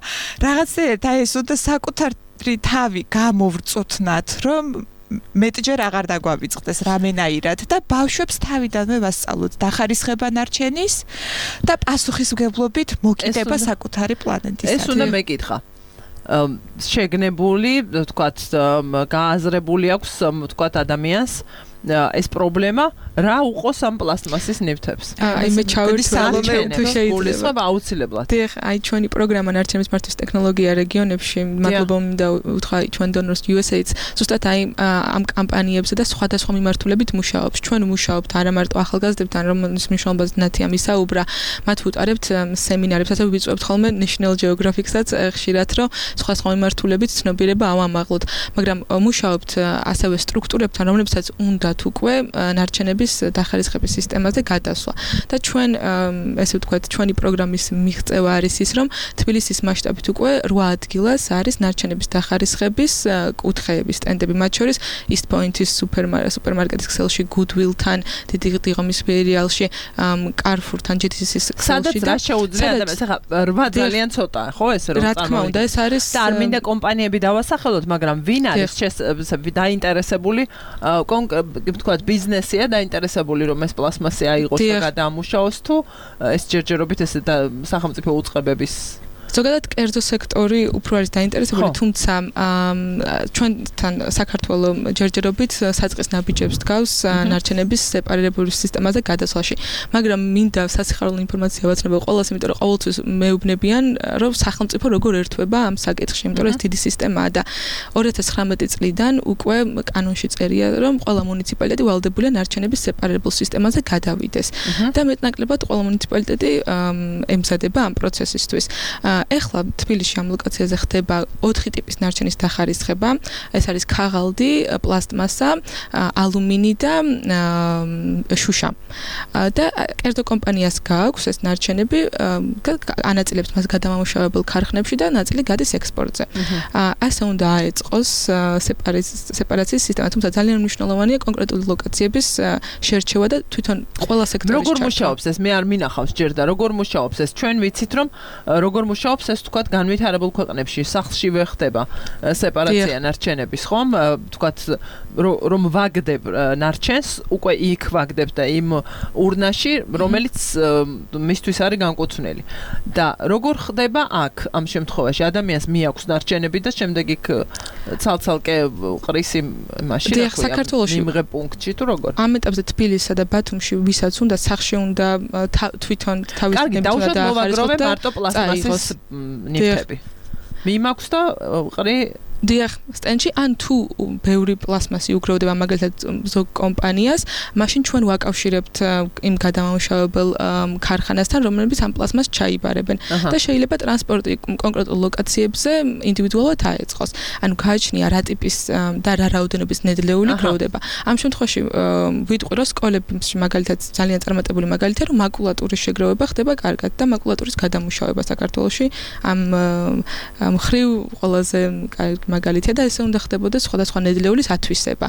Speaker 8: რაღაცნაირად აი ეს უნდა საკუთარი თავი გამოვრწოთნათ რომ მეტჯერ აღარ დაგვავიწყდეს რამენაირად და ბავშვებს თავიდანვე ვასწავლოთ დახარისხება ნარჩენის და პასუხისმგებლობით მოკიდება საკუთარი პლანეტისათვის.
Speaker 2: ეს უნდა მეკითხა. შეგნებული, თქვათ, გააზრებული აქვს, თქვათ, ადამიანს ეს პრობლემა რა უყოს ამ პლასტმასის ნივთებს.
Speaker 7: აი მე ჩავერთვალე თუ
Speaker 2: შეიძლება აუცილებლად.
Speaker 7: დიახ, აი ჩვენი პროგრამა ნარჩენის მართვის ტექნოლოგია რეგიონებში, მადლობა მინდა უთხრა ჩვენ დონორს USA-ს, ზუსტად აი ამ კამპანიებზე და სხვადასხვა მიმართულებით მუშაობს. ჩვენ მუშაობთ არა მარტო ახალგაზრდებთან, რომელის მნიშვნელობაზე ნათია მისაუბრა, მათ ვუტარებთ სემინარებს, ასე ვიწვევთ ხოლმე National Geographic-საც ხშირად, რომ სხვადასხვა მიმართულებით ცნობიერება ავამაღლოთ, მაგრამ მუშაობთ ასევე სტრუქტურებთან, რომლებსაც უნდა უკვე ნარჩენების დახარისხების სისტემაზე გადასვლა. და ჩვენ ესე ვთქვათ, ჩვენი პროგრამის მიღწევა არის ის, რომ თბილისის მასშტაბით უკვე 8 ადგილას არის ნარჩენების დახარისხების კუთხეების სტენდები, მათ შორის East Point-ის სუპერმარკეტის ქსელში, Goodwill-თან, დიდი ღომის ფეერიალში, Carrefour-თან, JTC-ის ქსელში.
Speaker 2: სადაც რა შეუძლია ადამიანს, ახლა 8 ძალიან ცოტაა, ხო ეს რომ
Speaker 7: რა თქმა უნდა, ეს არის
Speaker 2: და არ მინდა კომპანიები დავასახელოთ, მაგრამ ვინ არის დაინტერესებული ვთქვათ, ბიზნესია დაინტერესებული, რომ ეს პლასმასი აიღოს და გადაამუშაოს თუ ეს ჯერჯერობით ესე სახელმწიფო უწყებების
Speaker 7: ზოგადად კერძო სექტორი უფრო არის დაინტერესებული, თუმცა ჩვენთან საქართველოს ჯერჯერობით საწყის ნაბიჯებს დგავს ნარჩენების სეპარირებული სისტემაზე გადასვლაში. მაგრამ მინდა სასიხარულო ინფორმაცია ვაცნობ ყველას, იმიტომ რომ ყოველთვის მეუბნებიან, რომ სახელმწიფო როგორ ერთვება ამ საკითხში, იმიტომ რომ ეს დიდი სისტემაა და 2019 წლიდან უკვე კანონში წერია, რომ ყველა მუნიციპალიტეტი ვალდებულია ნარჩენების სეპარირებულ სისტემაზე გადავიდეს. და მეტნაკლებად ყველა მუნიციპალიტეტი ემზადება ამ პროცესისთვის. ეხლა თბილისში ამ ლოკაციაზე ხდება 4 ტიპის ნარჩენის დახარისხება. ეს არის ქაღალდი, პლასტმასა, ალუმინი და შუშა. და კერძო კომპანიას გააქვს ეს ნარჩენები, ანაწილებს მას გადამამუშავებელ ქარხნებში და ნაწილი გადის ექსპორტზე. ასე უნდა აეწყოს სეპარაციის სისტემა, თუმცა ძალიან მნიშვნელოვანია კონკრეტული ლოკაციების შერჩევა და თვითონ ყველა სექტორის
Speaker 2: როგორ მუშაობს ეს? მე არ მინახავს ჯერ და როგორ მუშაობს ეს? ჩვენ ვიცით რომ როგორ მუშაობს ეს თქვათ განვითარებულ ქვეყნებში, სახლშივე ხდება სეპარაცია ნარჩენების, ხომ? თქვათ რომ ვაგდებ ნარჩენს, უკვე იქ ვაგდებ და იმ ურნაში, რომელიც მისთვის არის განკუთვნილი. და როგორ ხდება აქ ამ შემთხვევაში? ადამიანს მიაქვს ნარჩენები და შემდეგ იქ ცალ-ცალკე ყრის იმაში,
Speaker 7: რა ქვია, საქართველოში
Speaker 2: იმღებ პუნქტში თუ როგორ?
Speaker 7: ამ ეტაპზე თბილისსა და ბათუმში ვისაც უნდა სახში უნდა თვითონ თავის
Speaker 2: ნებთვნა და ახარისხოთ და მარტო პლასტმასის ნივთები. მიმაქვს და ყრი
Speaker 7: დიახ, სტენჩი ან თუ ბევრი პლასმასი უკრავდება მაგალითად ზოგ კომპანიას, მაშინ ჩვენ ვაკავშირებთ იმ გადამამუშავებელ ქარხანასთან, რომლებიც ამ პლასმას ჩაიბარებენ და შეიძლება ტრანსპორტი კონკრეტულ ლოკაციებზე ინდივიდუალურად აეწყოს. ანუ გააჩნია რა ტიპის და რა რაოდენობის ნედლეული გროვდება. ამ შემთხვევაში ვიტყვი, რომ სკოლებში მაგალითად ძალიან წარმატებული მაგალითია, რომ მაკულატურის შეგროვება ხდება კარგად და მაკულატურის გადამუშავება საქართველოში ამ მხრივ ყველაზე მაგალითია და ესე უნდა ხდებოდა სხვადასხვა ნედლეულის ათვისება.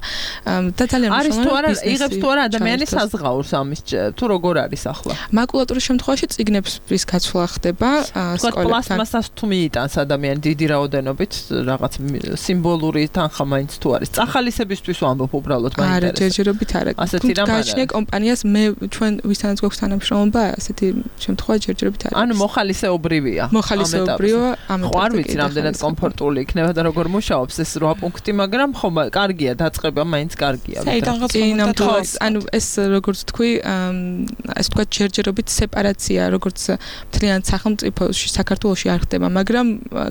Speaker 7: და ძალიან
Speaker 2: მნიშვნელოვანია არის თუ არა იღებს თუ არა ადამიანი საზღაურს ამის თუ როგორ არის ახლა?
Speaker 7: მაკულატურის შემთხვევაში წიგნების გაცვლა ხდება სკოლებთან.
Speaker 2: პლასტმასას თუ მიიტანს ადამიანი დიდი რაოდენობით რაღაც სიმბოლური თანხა მაინც თუ არის. წახალისებისთვის ვამბობ უბრალოდ მაინტერესებს.
Speaker 7: არა, ჯერჯერობით არა. გააჩნია კომპანიას მე ჩვენ ვისთანაც გვაქვს თანამშრომლობა, ასეთი შემთხვევა ჯერჯერობით არის.
Speaker 2: ანუ მოხალისეობრივია.
Speaker 7: მოხალისეობრივია ამ
Speaker 2: ეტაპზე. ხო არ ვიცი რამდენად კომფორტული იქნება და როგორ მუშაობს ეს 8 პუნქტი, მაგრამ ხო კარგია დაწყება, მაინც კარგია.
Speaker 7: ანუ ეს როგორც თქვი, ეს თქვა ჯერჯერობით სეპარაცია, როგორც მთლიან სახელმწიფოში, საქართველოში არ ხდება, მაგრამ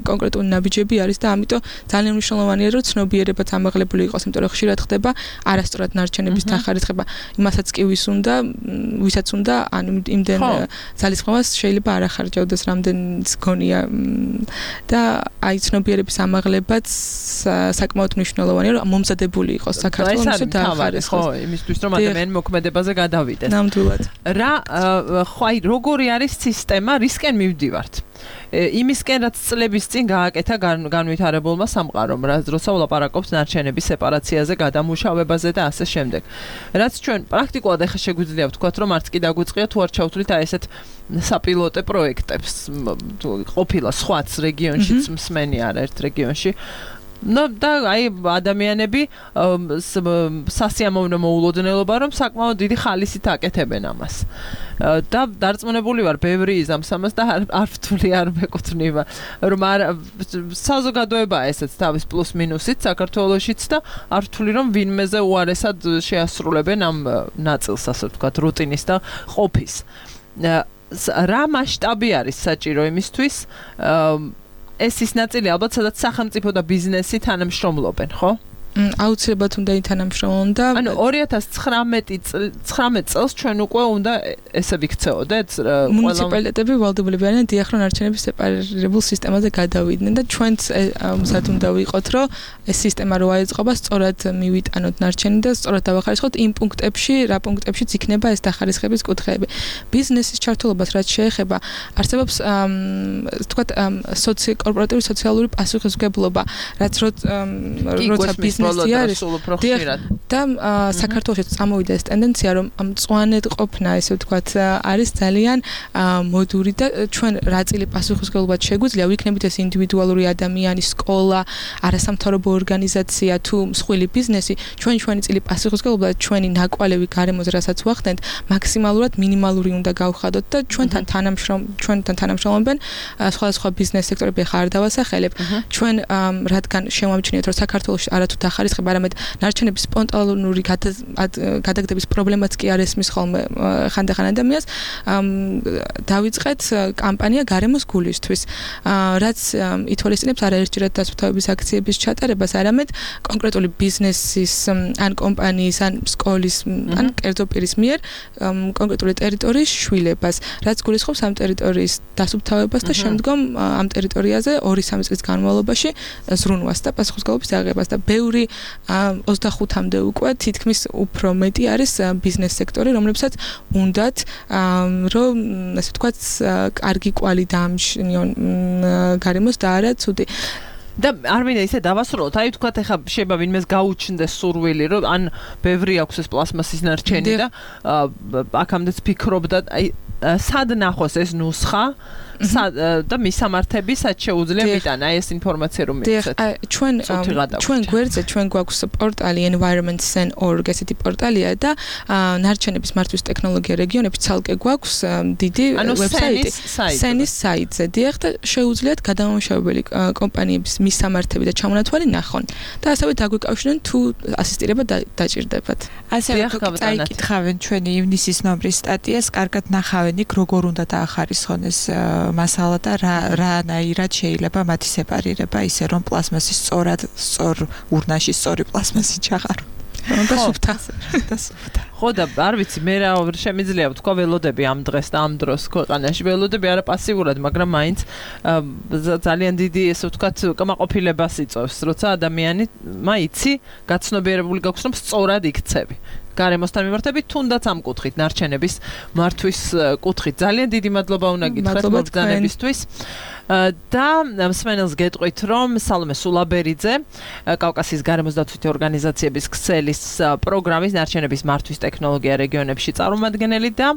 Speaker 7: კონკრეტული ნაბიჯები არის და ამიტომ ძალიან მნიშვნელოვანია, რომ ცნობიერებაც ამაღლებული იყოს, იმიტომ რომ ხშირად ხდება არასწორად ნარჩენების დახარისხება. იმასაც კი ვისაც უნდა, ანუ იმდენ ძალისხმევას შეიძლება არ ახარჯავდეს, რამდენიც გონია და აი ცნობიერების ამაღლებაც საკმაოდ მნიშვნელოვანია, რომ მომზადებული იყოს საქართველოს დაახარისხოს.
Speaker 2: ხო, იმისთვის რომ ადამიანი მოქმედებაზე გადავიდეს.
Speaker 7: ნამდვილად.
Speaker 2: რა ხო აი როგორი არის სისტემა, რისკენ მივდივართ? იმისკენ რაც წლების წინ გააკეთა განვითარებულმა სამყარომ, როცა ვლაპარაკობთ ნარჩენების სეპარაციაზე, გადამუშავებაზე და ასე შემდეგ. რაც ჩვენ პრაქტიკულად ახლა შეგვიძლია ვთქვათ, რომ არც კი დაგვიწყია თუ არ ჩავთვლით აი ესეთ საპილოტე პროექტებს, ყოფილა სხვაც რეგიონშიც მსმენი არა ერთ რეგიონში. No, და აი ადამიანები სასიამოვნო მოულოდნელობა, რომ საკმაოდ დიდი ხალისით აკეთებენ ამას. და დარწმუნებული ვარ, ბევრი იზამს ამას და არ ვთვლი, არ მეკუთვნება, რომ საზოგადოებაა ესეც თავის პლუს მინუსით საქართველოშიც და არ ვთვლი, რომ ვინმეზე უარესად შეასრულებენ ამ ნაწილს, ასე ვთქვათ, რუტინის და ყოფის. რა მასშტაბი არის საჭირო იმისთვის, ეს ის ნაწილი ალბათ სადაც სახელმწიფო და ბიზნესი თანამშრომლობენ, ხო?
Speaker 7: აუცილებლად უნდა ითანამშრომლონ და
Speaker 2: ანუ 2019 წელს ჩვენ უკვე უნდა ესე ვიქცეოდეთ
Speaker 7: მუნიციპალიტეტები ვალდებულები არიან დიახ რომ ნარჩენების სეპარირებულ სისტემაზე გადავიდნენ და ჩვენც მსად უნდა ვიყოთ რომ ეს სისტემა რო აეწყობა სწორად მივიტანოთ ნარჩენი და სწორად დავახარისხოთ იმ პუნქტებში რა პუნქტებშიც იქნება ეს დახარისხების კუთხეები ბიზნესის ჩართულობას რაც შეეხება არსებობს თქვათ კორპორატიული სოციალური პასუხისმგებლობა რაც როცა ბიზნესი არის და საქართველოში წამოვიდა ეს ტენდენცია რომ მწვანედ ყოფნა ესე ვთქვათ არის ძალიან მოდური და ჩვენ რა წილი პასუხისმგებლობად შეგვიძლია ვიქნებით ეს ინდივიდუალური ადამიანი სკოლა არასამთავრობო ორგანიზაცია თუ მსხვილი ბიზნესი ჩვენი წილი პასუხისმგებლობა ჩვენი ნაკვალევი გარემოზე რასაც ვახდენთ მაქსიმალურად მინიმალური უნდა გავხადოთ და ჩვენთან თანამშრომლობენ სხვადასხვა ბიზნეს სექტორები ხარ დავასახელებ ჩვენ რადგან შემოვიჩინეთ რომ საქართველოში არათუ დახარისხება არამედ ნარჩენების სპონტანური გადაგდების პრობლემაც კი არ ესმის ხოლმე ხანდახან ადამიანს დავიწყეთ კამპანია გარემოს გულისთვის რაც ითვალისწინებს არაერთჯერად დასუფთავების აქციების ჩატარებას არამედ კონკრეტული ბიზნესის ან კომპანიის ან სკოლის ან კერძო პირის მიერ კონკრეტული ტერიტორიის შვილებას რაც გულისხმობს ამ ტერიტორიის დასუფთავებას და შემდგომ ამ ტერიტორიაზე 2-3 წლის განმავლობაში ზრუნვას და პასუხისმგებლობის აღებას და ბევრი 25-მდე უკვე თითქმის უფრო მეტი არის ბიზნეს სექტორი რომლებსაც უნდათ რომ ასე ვთქვათ კარგი კვალი დაამჩნიონ გარემოს და არა ცუდი
Speaker 2: და არ მინდა ისე დავასრულოთ, აი თქვათ ეხა შეიძლება ვინმეს გაუჩნდეს სურვილი, რომ ან ბევრი აქვს ეს პლასმასის ნარჩენი და აქამდეც ფიქრობდა, აი სად ნახოს ეს ნუსხა და მისამართები სად შეუძლია მიტანა ეს ინფორმაცია რომ მიცეთ.
Speaker 7: ჩვენ გვერდზე ჩვენ გვაქვს პორტალი environment.org ესეთი პორტალია და ნარჩენების მართვის ტექნოლოგია რეგიონებში ცალკე გვაქვს დიდი ვებსაიტი სენის საიტზე. დიახ და შეუძლიათ გადამამუშავებელი კომპანიების მისამართები და ჩამონათვალი ნახონ და ასევე დაგვიკავშირდნენ თუ ასისტირება დაჭირდებათ.
Speaker 8: ასევე წაიკითხავენ ჩვენი ივნისის ნომრის სტატიას, კარგად ნახავენ იქ როგორ უნდა დაახარისხონ ეს მასალა და რანაირად შეიძლება მათი სეპარირება ისე რომ პლასმასი სწორ ურნაში სწორი პლასმასი ჩაღარო.
Speaker 7: და სუფთა.
Speaker 2: ხო და არ ვიცი მე რა შემიძლია ვთქვა ველოდები ამ დღეს და ამ დროს ქვეყანაში ველოდები არა პასიურად მაგრამ მაინც ძალიან დიდი ესე ვთქვათ კმაყოფილებას იწვევს როცა ადამიანი მაიცი გაცნობიერებული გაქვს რომ სწორად იქცევი გარემოსთან მიმართებით თუნდაც ამ კუთხით ნარჩენების მართვის კუთხით ძალიან დიდი მადლობა უნდა გითხრათ მოგზანებისთვის და მსმენელს გეტყვით რომ სალომე სულაბერიძე კავკასიის გარემოს დაცვითი ორგანიზაციების ქსელის პროგრამის ნარჩენების მართვის ტექნოლოგია რეგიონებში წარმომადგენელი და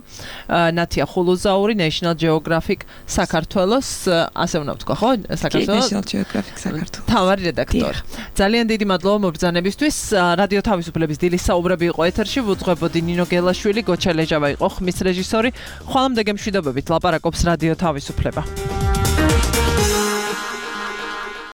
Speaker 2: ნათია ხულუზაური National Geographic საქართველოს ასე უნდა ვთქვა ხო საქართველოს
Speaker 8: National Geographic საქართველოს
Speaker 2: თავარი რედაქტორი ძალიან დიდი მადლობა მოგზანებისთვის რადიო თავისუფლების დილის საუბრები იყო ეთერში ვუძღვებოდი ნინო გელაშვილი გოჩა ლეჟავა იყო ხმის რეჟისორი ხვალამდე გემშვიდობებით ლაპარაკობს რადიო თავისუფლება